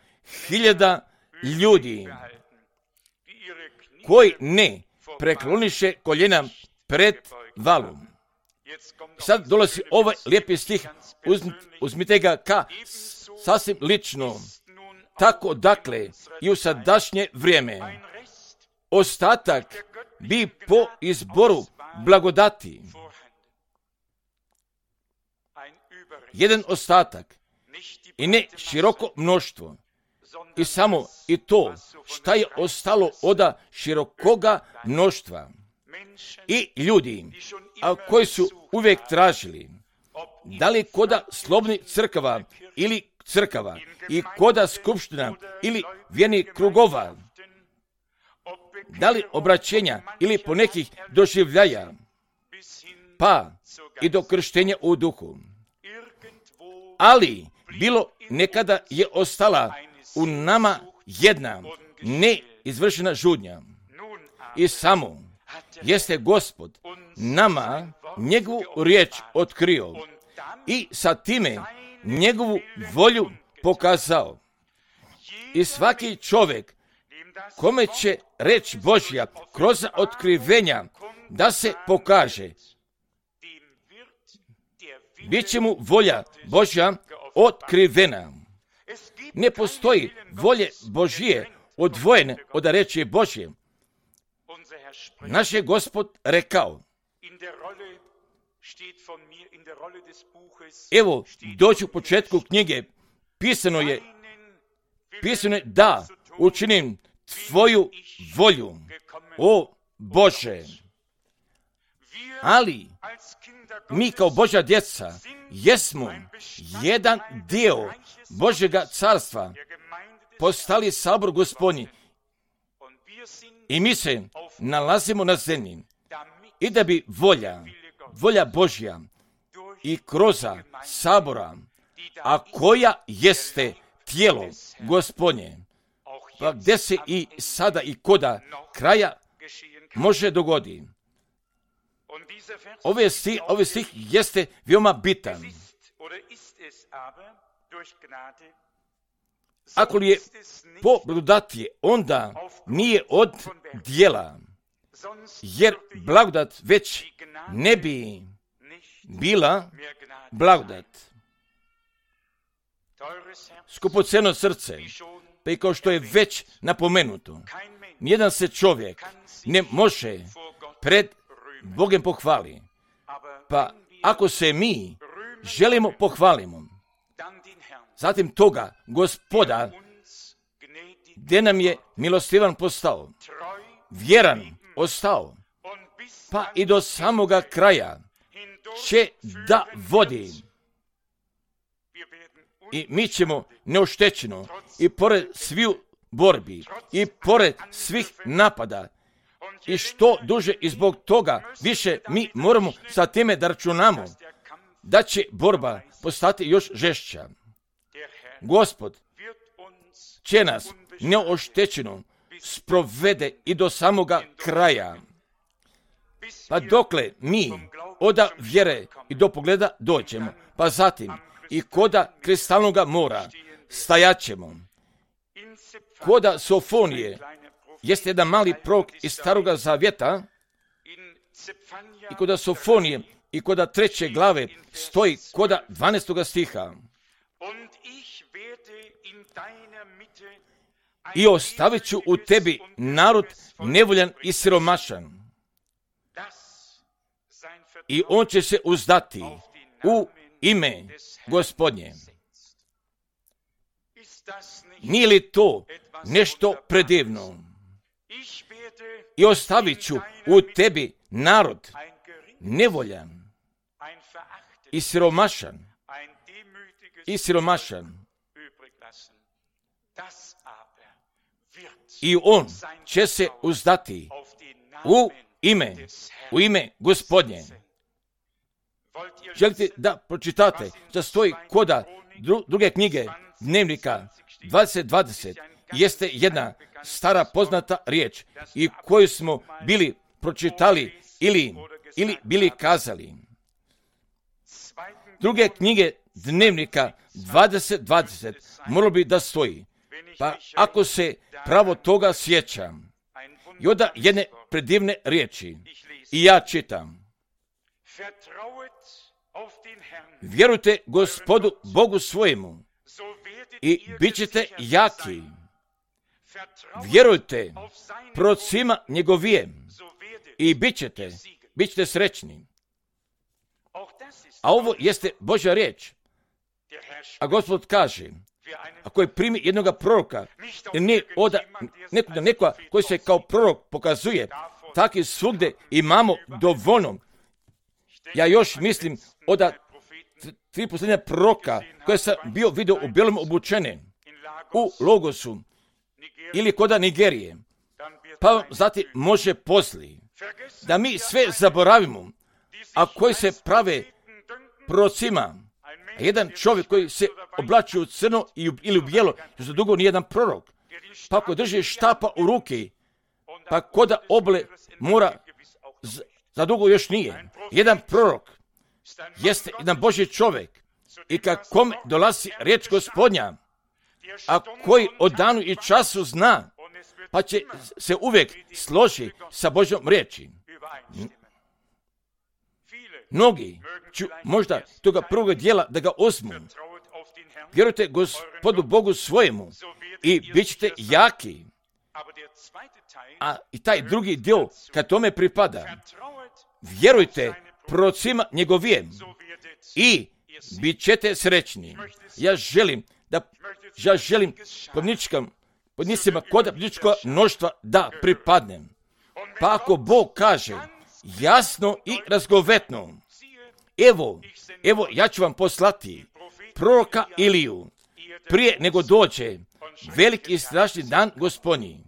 hiljada ljudi koji ne prekloniše koljena pred valom. Sad dolazi ovaj lijepi stih, uzmite ga ka sasvim lično. Tako dakle i u sadašnje vrijeme ostatak bi po izboru blagodati. Jedan ostatak i ne široko mnoštvo. I samo i to šta je ostalo od širokoga mnoštva. I ljudi, a koji su uvijek tražili, da li koda slobodnih crkava ili crkava i koda skupština ili vjernih krugova, da li obraćenja ili po nekih doživljaja, pa i do krštenja u duhu. Ali bilo nekada je ostala u nama jedna neizvršena žudnja. I samo jeste Gospod nama njegovu riječ otkrio i sa time njegovu volju pokazao. I svaki čovjek kome će reč Božja kroz otkrivenja da se pokaže, bit će mu volja Božja otkrivena. Ne postoji volje Božje odvojene od riječi Božje. Naš je Gospod rekao, evo, doći u početku knjige, pisano je, pisano je da učinim tvoju volju, o Bože. Ali mi kao Božja djeca jesmo jedan dio Božjega carstva, postali sabor Gospodnji i mi se nalazimo na zemlji i da bi volja, volja Božja i kroz sabora, a koja jeste tijelo Gospodnje, pa gdje se i sada i koda kraja može dogoditi. Ove stih, ove stih jeste veoma bitan. Ako li je po blagodati, onda nije od djela, jer blagodat već ne bi bila blagodat. Skupoceno srce, pa i kao što je već napomenuto, nijedan se čovjek ne može pred Bogom pohvali. Pa ako se mi želimo pohvalimo, zatim toga Gospoda, gdje nam je milostivan postao, vjeran ostao, pa i do samoga kraja će da vodi. I mi ćemo neoštećeno i pored sviju borbi i pored svih napada i što duže i zbog toga više mi moramo sa time da računamo da će borba postati još žešća. Gospod će nas neoštećeno sprovede i do samoga kraja. Pa dokle mi od vjere i do pogleda dođemo, pa zatim i koda kristalnoga mora stajaćemo koda Sofonije jeste jedan mali prorok iz Staroga Zavjeta i koda Sofonije i koda treće glave stoji koda dvanaestoga stiha. I ostavit ću u tebi narod nevoljan i siromašan. I on će se uzdati u ime Gospodnje. Nije li to nešto predivno? I ostavit ću u tebi narod nevoljan i siromašan. I siromašan. I on će se uzdati u ime, u ime Gospodnje. Želite da pročitate da stoji koda druge knjige Dnevnika dvadeset dvadeset jeste jedna stara poznata riječ i koju smo bili pročitali ili, ili bili kazali. Druge knjige Dnevnika dvadeset dvadeset moralo bi da stoji. Pa ako se pravo toga sjećam, i onda jedne predivne riječi i ja čitam. Vjerujte Gospodu Bogu svojemu i bit ćete jaki. Vjerujte procima njegovijem i bit ćete, bit ćete srećni. A ovo jeste Božja riječ. A Gospod kaže, ako je primi jednoga proroka, jer nije oda nekoga, nekoga koji se kao prorok pokazuje, tako i svugde imamo dovoljno. Ja još mislim oda tri posljednja proroka koje sam bio vidio u bijelom obučene u Logosu ili koda Nigerije. Pa zatim može posli da mi sve zaboravimo, a koji se prave prorocima. A jedan čovjek koji se oblači u crno ili u bijelo, što dugo nije jedan prorok. Pa ako drži štapa u ruki, pa koda oble mora, za dugo još nije. Jedan prorok jeste jedan Božji čovjek i kad kome dolazi riječ Gospodnja, a koji o danu i času zna, pa će se uvijek složi sa Božjom riječi. Mnogi ću možda toga prvog dijela da ga uzmu. Vjerujte Gospodu Bogu svojemu i bit ćete jaki. A i taj drugi dio kad tome pripada, vjerujte prorocima njegovijem i bit ćete srećni. Ja želim da, ja želim podničkam, podnicima kod podničkog mnoštva da pripadnem. Pa ako Bog kaže jasno i razgovetno, evo, evo ja ću vam poslati proroka Iliju prije nego dođe veliki i strašni dan Gospodnji.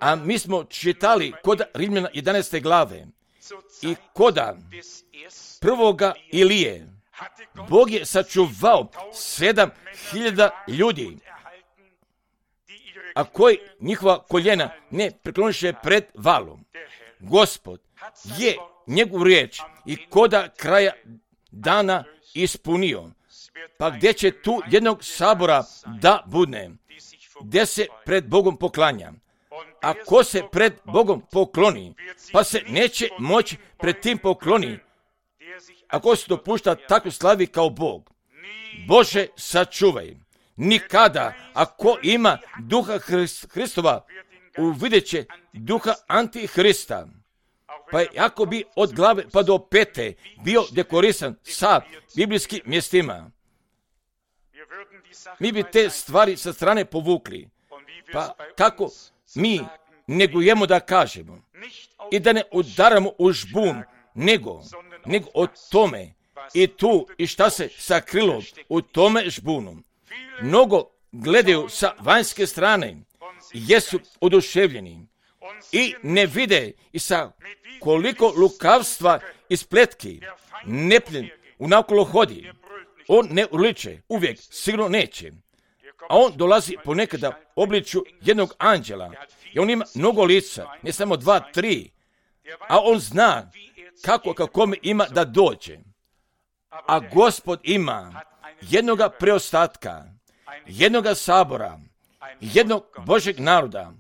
A mi smo čitali kod Rimljana jedanaeste glave i koda prvoga Ilije Bog je sačuvao sedam hiljada ljudi, a koji njihova koljena ne prekloniše pred valom. Gospod je njegovu riječ i koda kraja dana ispunio. Pa gdje će tu jednog sabora da budne, gdje se pred Bogom poklanja. A ko se pred Bogom pokloni, pa se neće moći pred tim pokloni, ako se dopušta tako slavi kao Bog. Bože, sačuvaj. Nikada, ako ima duha Hristova, uvidjet će duha Antihrista. Pa ako bi od glave pa do pete bio dekorisan sa biblijskim mjestima, mi bi te stvari sa strane povukli. Pa kako mi negujemo da kažemo i da ne udaramo u žbun, nego, nego o tome i tu i šta se sakrilo u tome žbunu. Mnogo gledaju sa vanjske strane, jesu oduševljeni i ne vide i sa koliko lukavstva i spletki nepljen unakolo hodi. On ne uliče, uvijek sigurno neće. A on dolazi ponekada obliču jednog anđela i on ima mnogo lica, ne samo dva, tri, a on zna kako kakome ima da dođe. A Gospod ima jednoga preostatka, jednoga sabora, jednog Božeg naroda,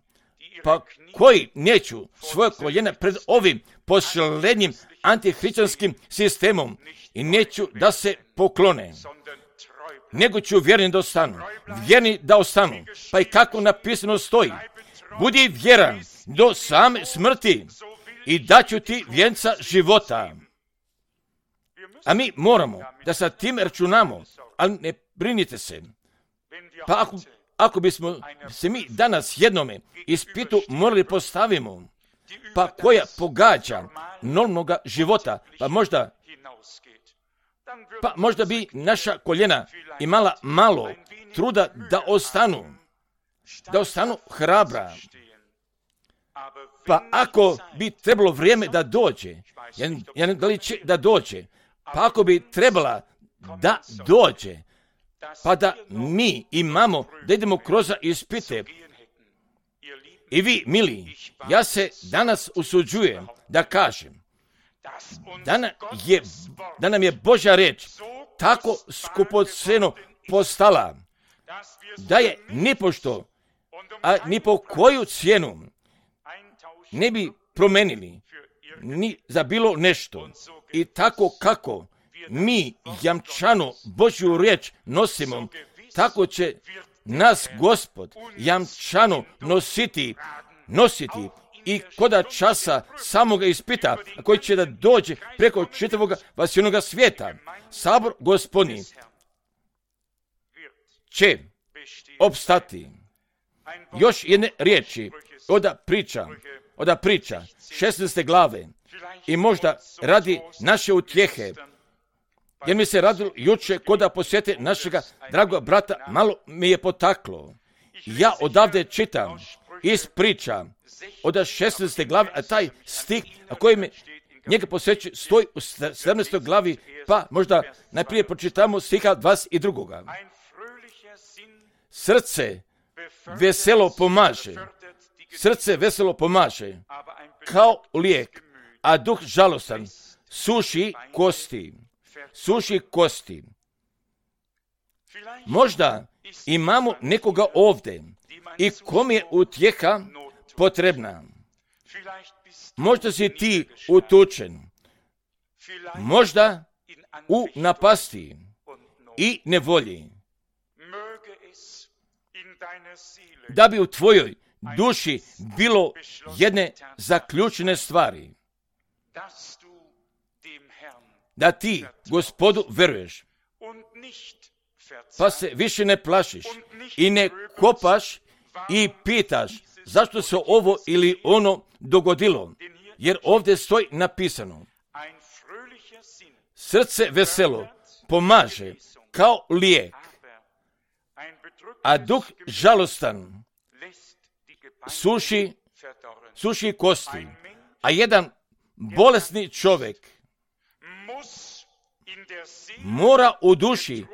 pa koji neću svoje koljena pred ovim posljednjim antihrišćanskim sistemom i neću da se poklone, nego ću vjerni da ostanu, vjerni da ostanu, pa i kako napisano stoji, budi vjeran do same smrti i daću ti vjenca života. A mi moramo da sa tim računamo, ali ne brinite se. Pa ako, ako bismo se mi danas jednome ispitu morali postavimo, pa koja pogađa normalnoga života, pa možda pa možda bi naša koljena imala malo truda da ostanu, da ostanu hrabra. Pa ako bi trebalo vrijeme da dođe, ja, ja ne da li će da dođe, pa ako bi trebala da dođe, pa da mi imamo, da idemo kroz ispite. I vi, mili, ja se danas usuđujem da kažem, da nam je, da nam je Božja reč tako skupoceno postala, da je nipošto, a ni po koju cijenu ne bi promenili ni za bilo nešto. I tako kako mi jamčano Božju riječ nosimo, tako će nas Gospod jamčano nositi, nositi i koda časa samoga ispita, koji će da dođe preko čitavog vasijonoga svijeta. Sabor Gospodnji će opstati. Još jedne riječi oda priča, oda priča šesnaeste glave i možda radi naše utjehe, jer mi se radilo juče koda posjete našega dragog brata, malo mi je potaklo. Ja odavde čitam iz priča od šesnaeste glave, a taj stih, a koji mi njega posjećuje, stoji u sedamnaestoj glavi, pa možda najprije pročitamo stiha dvadeset dva. Srce veselo pomaže, srce veselo pomaže, kao lijek, a duh žalostan suši kosti, suši kosti. Možda imamo nekoga ovdje i kom je utjeha potrebna. Možda si ti utučen, možda u napasti i nevolji, da bi u tvojoj duši bilo jedne zaključene stvari, da ti Gospodu veruješ, pa se više ne plašiš i ne kopaš i pitaš zašto se ovo ili ono dogodilo, jer ovdje stoji napisano, srce veselo pomaže kao lijek, a duh žalostan suši, suši kosti. A jedan bolesni čovjek mora u duši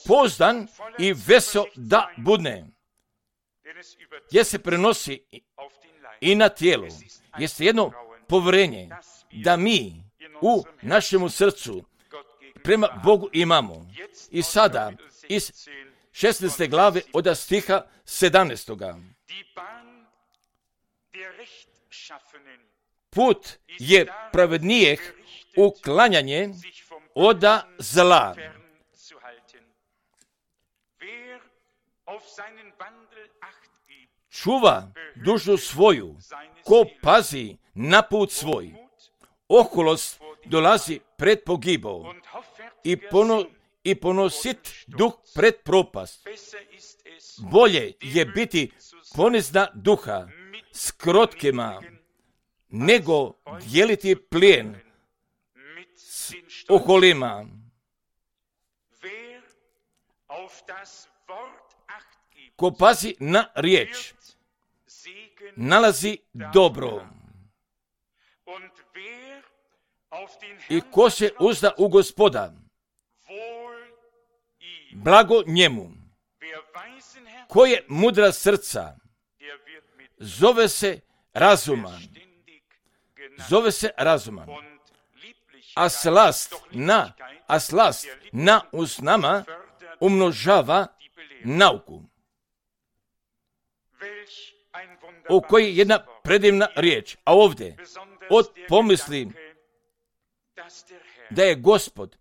pozdan i vesel da budne, jer se prenosi i na tijelu. Jeste jedno povjerenje da mi u našemu srcu prema Bogu imamo. I sada iz šesnaeste glave od stiha sedamnaestog. Put je pravednijeg uklanjanje oda zla. Čuva dušu svoju, ko pazi na put svoj. Oholost dolazi pred pogibao i, pono, i ponosit duh pred propast. Bolje je biti ponizna duha s krotkima, nego dijeliti plijen s oholima. Ko pazi na riječ, nalazi dobro. I ko se uzda u Gospoda, blago njemu. Ko je mudra srca, zove se razuman. Zove se razuman. A slast na, a slast na usnama umnožava nauku. o kojoj je jedna predivna riječ, a ovdje od pomisli da je Gospod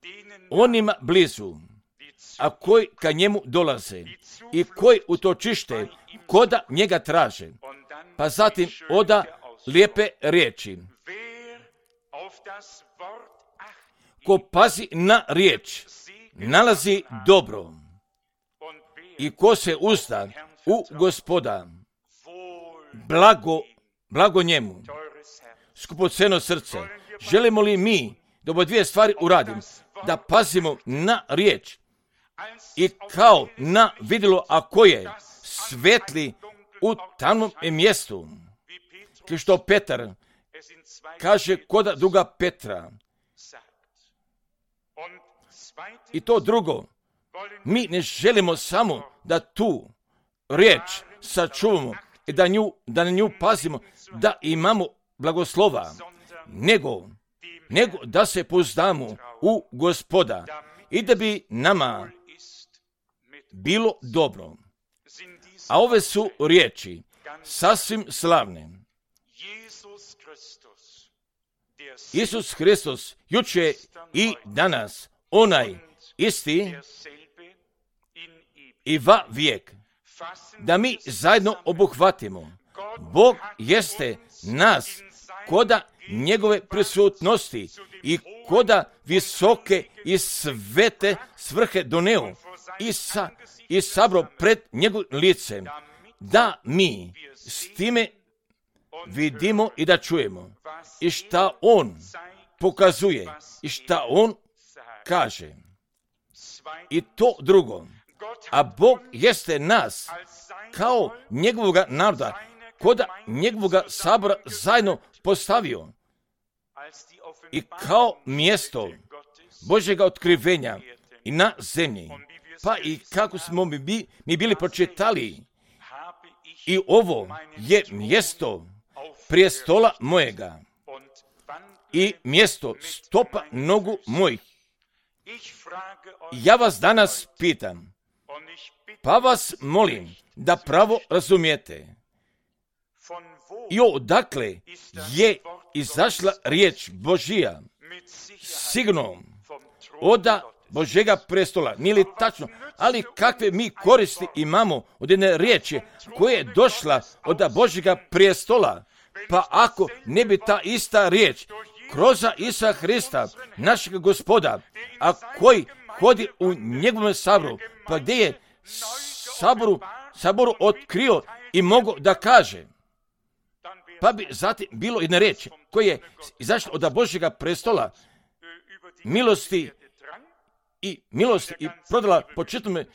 onima blizu, a koji ka njemu dolaze i koji utočište koda njega traže. Pa zatim oda lijepe riječi. Ko pazi na riječ, nalazi dobro. I ko se uzda u Gospoda, blago, blago njemu. Skupoceno srce, želimo li mi da ove dvije stvari uradim, da pazimo na riječ i kao na vidjelo, a koje svetli u tamnom mjestu, kao što Petar kaže koda druga Petra. I to drugo, mi ne želimo samo da tu riječ sačuvamo i da, nju, da na nju pazimo, da imamo blagoslova, nego, nego da se pouzdamo u Gospoda i da bi nama bilo dobro. A ove su riječi sasvim slavne. Isus Hristos, juče i danas, onaj isti i va vijek, da mi zajedno obuhvatimo. Bog jeste nas koda njegove prisutnosti i koda visoke i svete svrhe doneo i, sa, i sabro pred njegovim licem, da mi s time vidimo i da čujemo i šta on pokazuje i šta on kaže. I to drugo, a Bog jeste nas kao njegovoga naroda, koda njegovoga sabora zajedno postavio i kao mjesto Božjega otkrivenja i na zemlji. Pa i kako smo mi, mi bili pročitali, i ovo je mjesto prijestola mojega i mjesto stopa nogu mojih. Ja vas danas pitam, pa vas molim da pravo razumijete. I odakle je izašla riječ Božija? Sigurno oda Božjega prestola. Nije li tačno? Ali kakve mi koristi imamo od jedne riječi koja je došla od Božjega prestola? Pa ako ne bi ta ista riječ kroz Isusa Hrista, našeg Gospoda, a koji hodi u njegovom saboru, pa gdje je saboru, saboru otkrio i mogo da kaže, pa bi zatim bilo jedna riječ koja je izašla od Božjega prestola, milosti i milosti i prodala po čitavome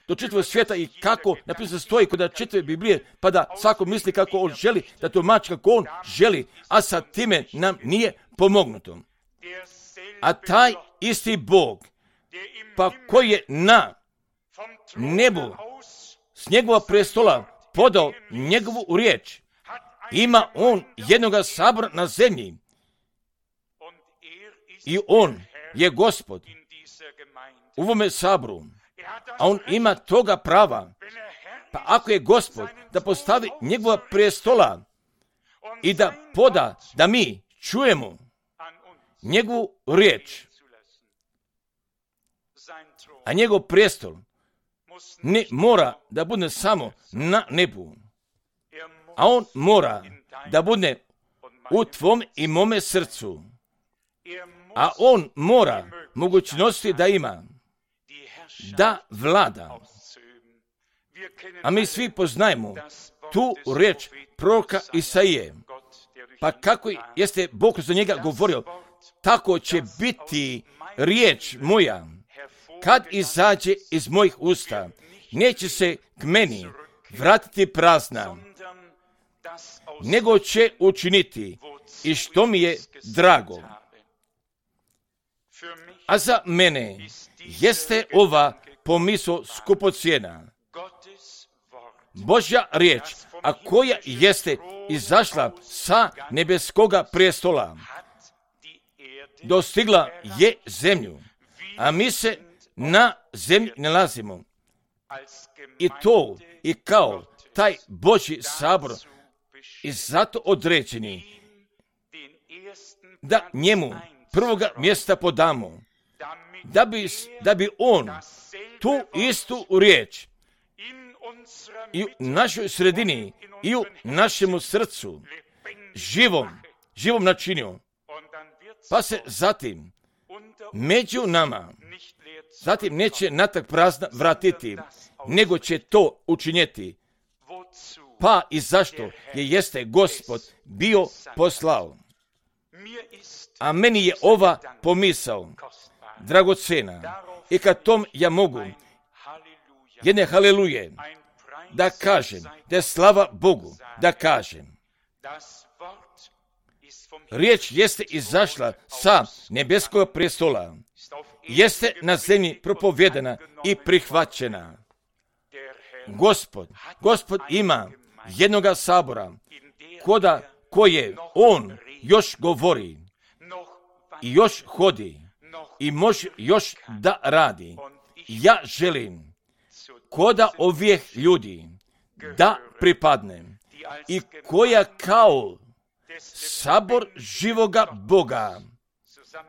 do čitavog svijeta i kako napisano stoji kod čitave Biblije, pa da svako misli kako on želi, da tumači kako on želi, a sa time nam nije pomognuto. A taj isti Bog, pa koji je na nebu s njegova prestola podao njegovu riječ, ima on jednoga sabora na zemlji i on je Gospod u ovome saboru, a on ima toga prava. Pa ako je Gospod da postavi njegova prestola i da poda da mi čujemo njegovu riječ, a njegov prestol ne mora da bude samo na nebu, a on mora da bude u tvom i mome srcu, a on mora mogućnosti da ima da vlada. A mi svi poznajemo tu riječ proroka Isaije. Pa kako jeste Bog za njega govorio, tako će biti riječ moja kad izađe iz mojih usta. Neće se k meni vratiti prazna, nego će učiniti i što mi je drago. A za mene jeste ova pomisao skupocjena. Božja riječ, a koja jeste izašla sa nebeskoga prestola, dostigla je zemlju, a mi se na zemlji nalazimo. I to i kao taj Božji sabor i zato određeni da njemu prvoga mjesta podamo, da bi, da bi on tu istu riječ i u našoj sredini i u našemu srcu živom, živom načinio, pa se zatim među nama zatim neće natrag prazna vratiti, nego će to učinjeti. Pa i zašto je jeste Gospod bio poslao. A meni je ova pomisao dragocena i kad tom ja mogu jedne haleluje da kažem, da je slava Bogu, da kažem. Riječ jeste izašla sa nebeskog prestola, jeste na zemlji propovjedana i prihvaćena. Gospod, Gospod ima jednoga sabora, koda koje on još govori i još hodi i može još da radi. Ja želim koda ovih ljudi da pripadnem i koja kao sabor živoga Boga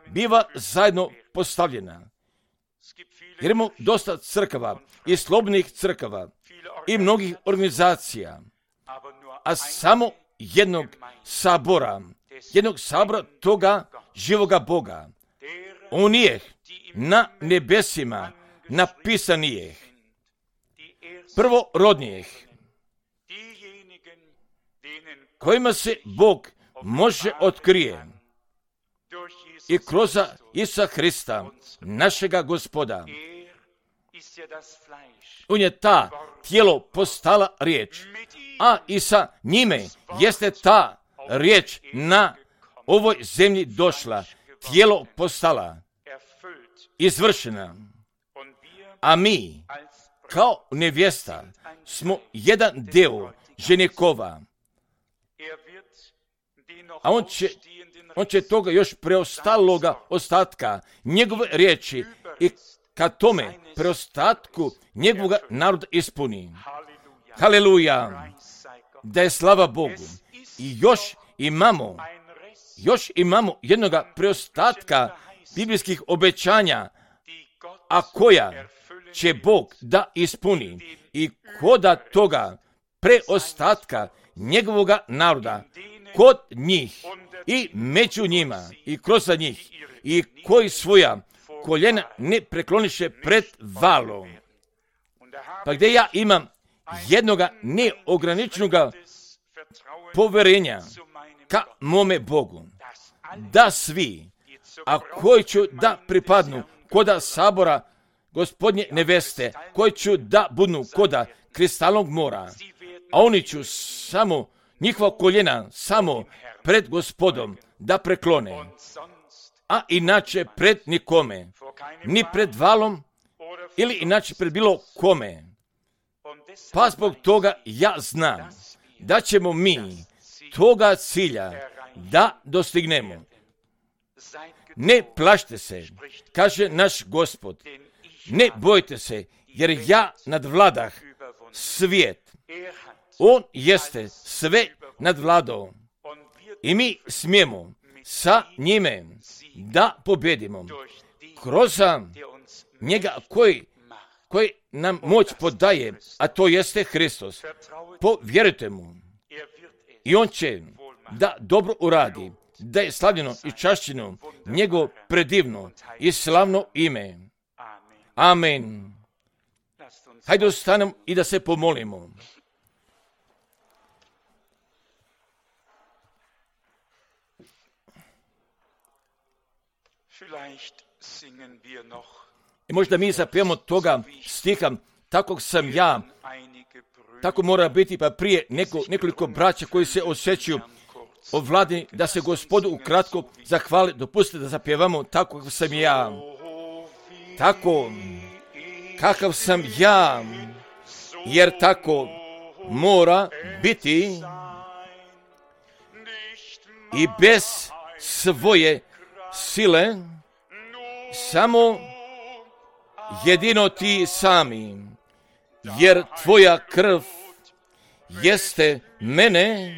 biva zajedno postavljena. Jer imamo dosta crkava i slobodnih crkava i mnogih organizacija, a samo jednog sabora, jednog sabora toga živoga Boga. On je na nebesima napisanijih, prvorodnijih, kojima se Bog može otkrije i kroz Isusa Hrista, našega Gospoda. On je ta tijelo postala riječ, a i sa njime jeste ta riječ na ovoj zemlji došla, tijelo postala, izvršena. A mi, kao nevjesta, smo jedan deo ženikova. A on će, on će toga još preostaloga ostatka, njegove riječi i ka tome preostatku njegovog naroda ispuni. Haleluja! Da je slava Bogu. I još imamo, još imamo jednoga preostatka biblijskih obećanja, a koja će Bog da ispuni i koda toga preostatka njegovog naroda kod njih i među njima i kroz njih i koji svoja koljena ne prekloniše pred valom. Pa gdje ja imam jednoga neograničenoga poverenja ka mome Bogu, da svi, a koji ću da pripadnu koda sabora Gospodnje neveste, koji ću da budnu koda kristalnog mora, a oni ću samo njihova koljena samo pred Gospodom da preklone, a inače pred nikome, ni pred valom ili inače pred bilo kome. Pa zbog toga ja znam da ćemo mi toga cilja da dostignemo. Ne plašite se, kaže naš Gospod, ne bojte se, jer ja nadvladah svijet. On jeste sve nadvladao i mi smijemo sa njime da pobjedimo kroz njega koji, koji nam moć podaje, a to jeste Hristos. Povjerujte mu i on će da dobro uradi, da je slavljeno i čašćeno njegovo predivno i slavno ime. Amen. Hajde ostanemo i da se pomolimo. I možda mi zapijemo toga stiha, takvog sam ja, tako mora biti, pa prije neko, nekoliko braća koji se osjećaju ovladni, da se Gospodu ukratko zahvali, dopustite da zapjevamo tako sam ja. Tako, kakav sam ja, jer tako mora biti i bez svoje sile, samo jedino ti sami, jer tvoja krv jeste mene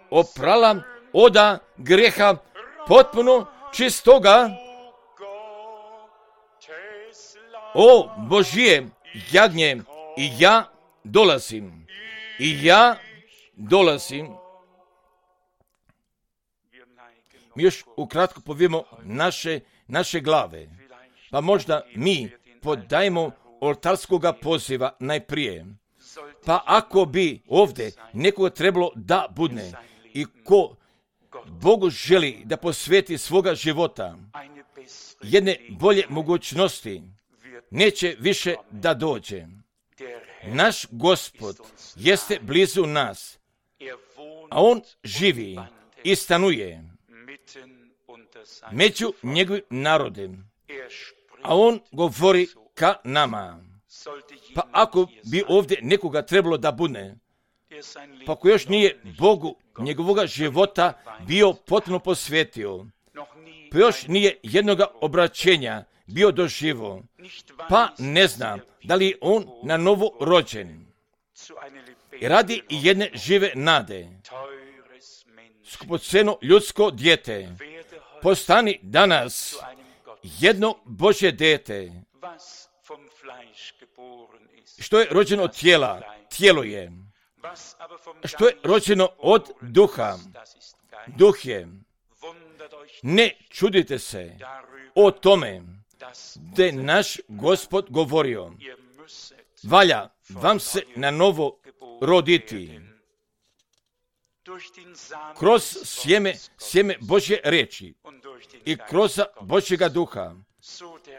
oprala oda grijeha potpuno čistoga. O Božije jagnje, i ja dolazim, i ja dolazim. Mi još ukratko povijemo naše, naše glave, pa možda mi podajemo oltarskoga poziva najprije. Pa ako bi ovdje nekoga trebalo da budne i ko Bogu želi da posveti svoga života jedne bolje mogućnosti, neće više da dođe. Naš Gospod jeste blizu nas, a On živi i stanuje među njegovim narodem, a On govori ka nama. Pa ako bi ovdje nekoga trebalo da budne, pa ako još nije Bogu njegovoga života bio potpuno posvetio, pa još nije jednoga obraćenja bio doživo, pa ne znam da li je on na novo rođen. I radi i jedne žive nade, skupoceno ljudsko dijete, postani danas jedno Božje dijete. Što je rođeno od tijela, tijelo je. Što je rođeno od duha, duh je. Ne čudite se o tome da je naš Gospod govorio, valja vam se na novo roditi. Kroz sjeme, sjeme Božje reči i kroz Božjega duha.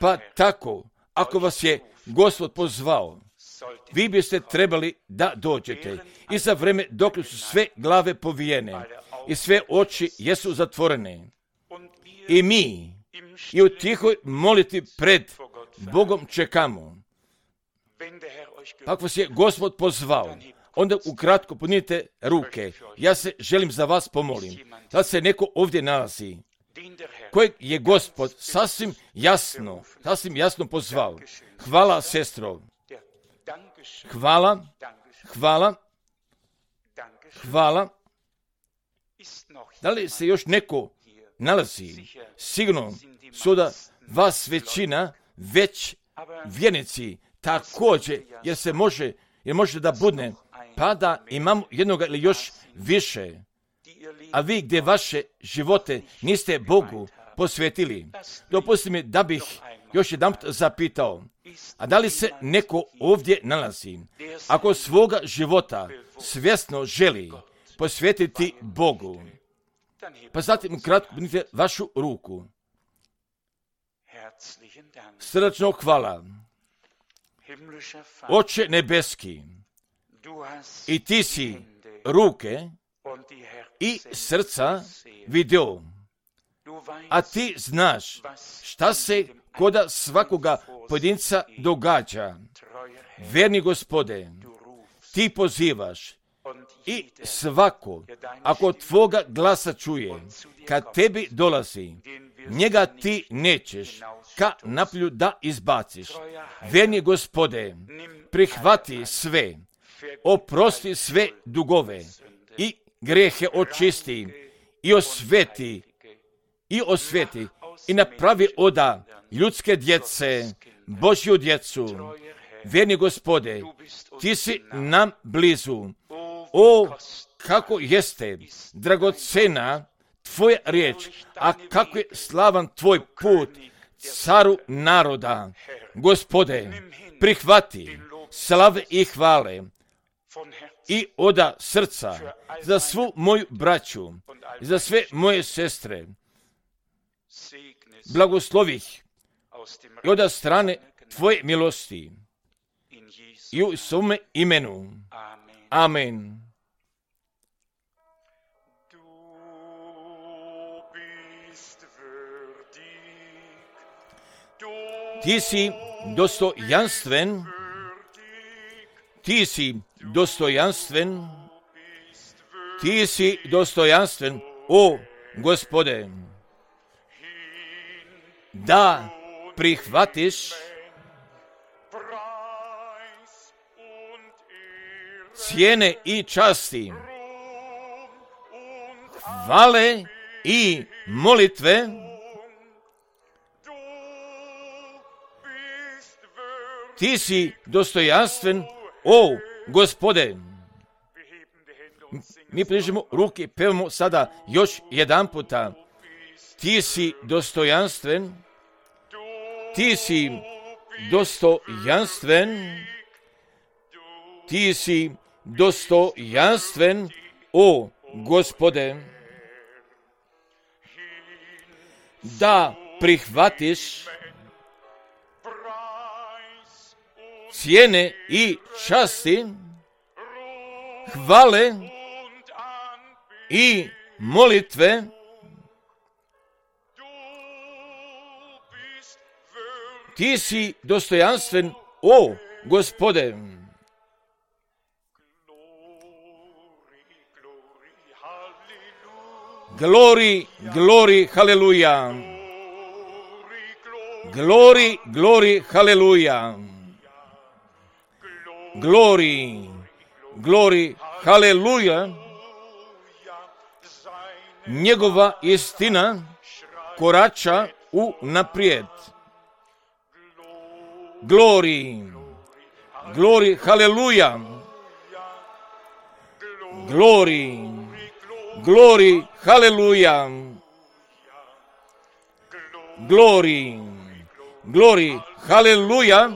Pa tako, ako vas je Gospod pozvao, vi biste trebali da dođete i za vreme dok su sve glave povijene i sve oči jesu zatvorene. I mi i u tihoj moliti pred Bogom čekamo. Ako vas je Gospod pozvao, onda ukratko podnijete ruke. Ja se želim za vas pomolim. Da se neko ovdje nalazi, kojeg je Gospod sasvim jasno, sasvim jasno pozvao. Hvala, sestro. Hvala, hvala, hvala. Da li se još neko nalazi? Sigurno su da vas većina već vjernici također, jer se može, jer može da budne, pa da imamo jednoga ili još više. A vi gdje vaše živote niste Bogu posvetili, dopustite mi da bih još jedan zapitao, a da li se neko ovdje nalazi, ako svoga života svjesno želi posvetiti Bogu, pa zatim kratko budite vašu ruku. Srdačno hvala. Oče nebeski, i ti si ruke i srca vidio, a ti znaš šta se koda svakoga pojedinca događa. Verni Gospode, ti pozivaš i svako, ako tvoga glasa čuje, kad tebi dolazi, njega ti nećeš ka napolju da izbaciš. Verni Gospode, prihvati sve, oprosti sve dugove i grijehe očisti i osveti i osveti i napravi oda ljudske djece, Božju djecu. Verni Gospode, ti si nam blizu. O, kako jeste dragocena tvoja riječ, a kako je slavan tvoj put, caru naroda. Gospode, prihvati slave i hvale i oda srca za svu moju braću, za sve moje sestre. Blagoslovih i oda strane tvoje milosti i u svome imenu. Amen. Ti si dostojanstven, ti si dostojanstven, ti si dostojanstven, o Gospode, da prihvatiš cijene i časti, hvale i molitve, ti si dostojanstven, o Gospode. Mi prižimo ruke, pevamo sada još jedan puta. Ti si dostojanstven, ti si dostojanstven, ti si dostojanstven, o Gospode, da prihvatiš cijene i časti, hvale i molitve, ti si dostojanstven, o Gospode. Glori, glori, haleluja. Glori, glori, haleluja. Glori, glori, haleluja. Njegova istina korača u naprijed. Glori, glori, haleluja. Glori, glori, haleluja. Glori, glori, haleluja.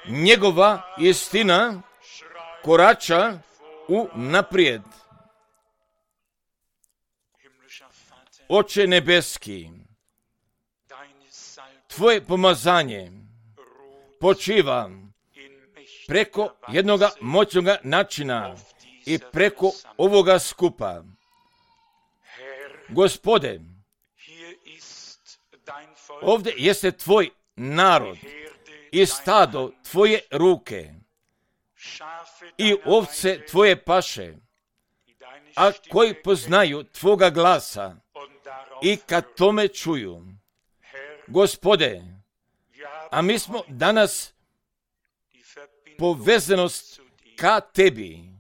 Njegova istina korača u naprijed. Oče nebeski, tvoje pomazanje počiva preko jednoga moćnoga načina i preko ovoga skupa. Gospode, ovdje jeste tvoj narod i stado tvoje ruke i ovce tvoje paše, a koji poznaju tvoga glasa i kad tome čuju. Gospode, a mi smo danas povezanost ka tebi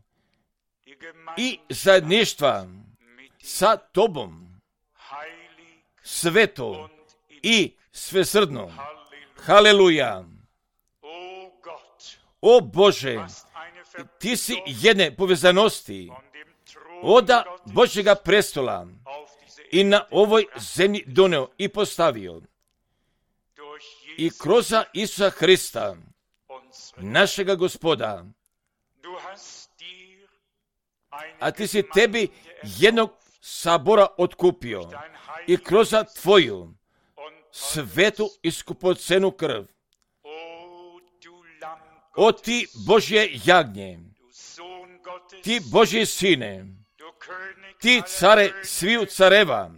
i zajedništva sa tobom, sveto i svesrdno. Haleluja. O Bože, ti si jedne povezanosti oda Božjega prestola i na ovoj zemlji doneo i postavio. I kroz Isusa Hrista, našega Gospoda, a ti si tebi jednog sabora otkupio i kroz tvoju svetu i skupocenu krv. O ti Božje jagnje, ti Božji sine, ti care sviju careva,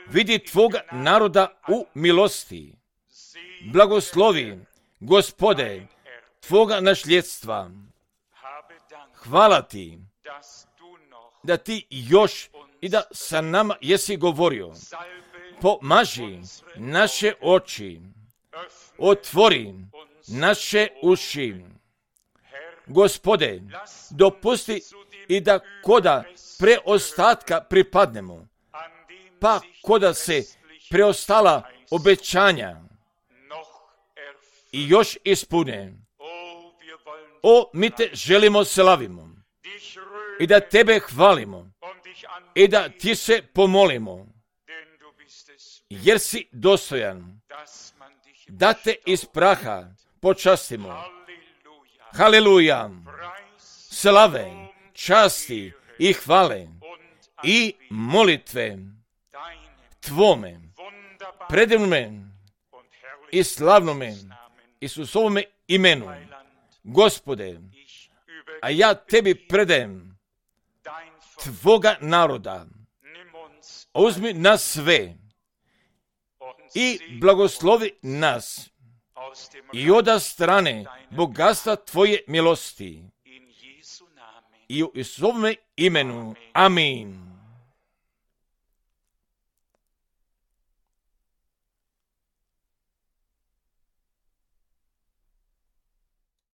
vidi tvoga naroda u milosti. Blagoslovi, Gospode, tvoga nasljedstva. Hvala ti da ti još i da sa nama jesi govorio. Pomaži naše oči, otvori naše uši. Gospode, dopusti i da koda preostatka pripadnemo, pa koda se preostala obećanja i još ispune. O, mi te želimo slavimo i da tebe hvalimo i da ti se pomolimo, jer si dostojan da te iz praha počastimo. Haleluja, slave, časti i hvale i molitve tvome, predivnome i slavnome Isusovome imenu. Gospode, a ja tebi predajem tvoga naroda. Uzmi nas sve i blagoslovi nas i oda strane bogatstva tvoje milosti. I u Isusovome imenu. Amin.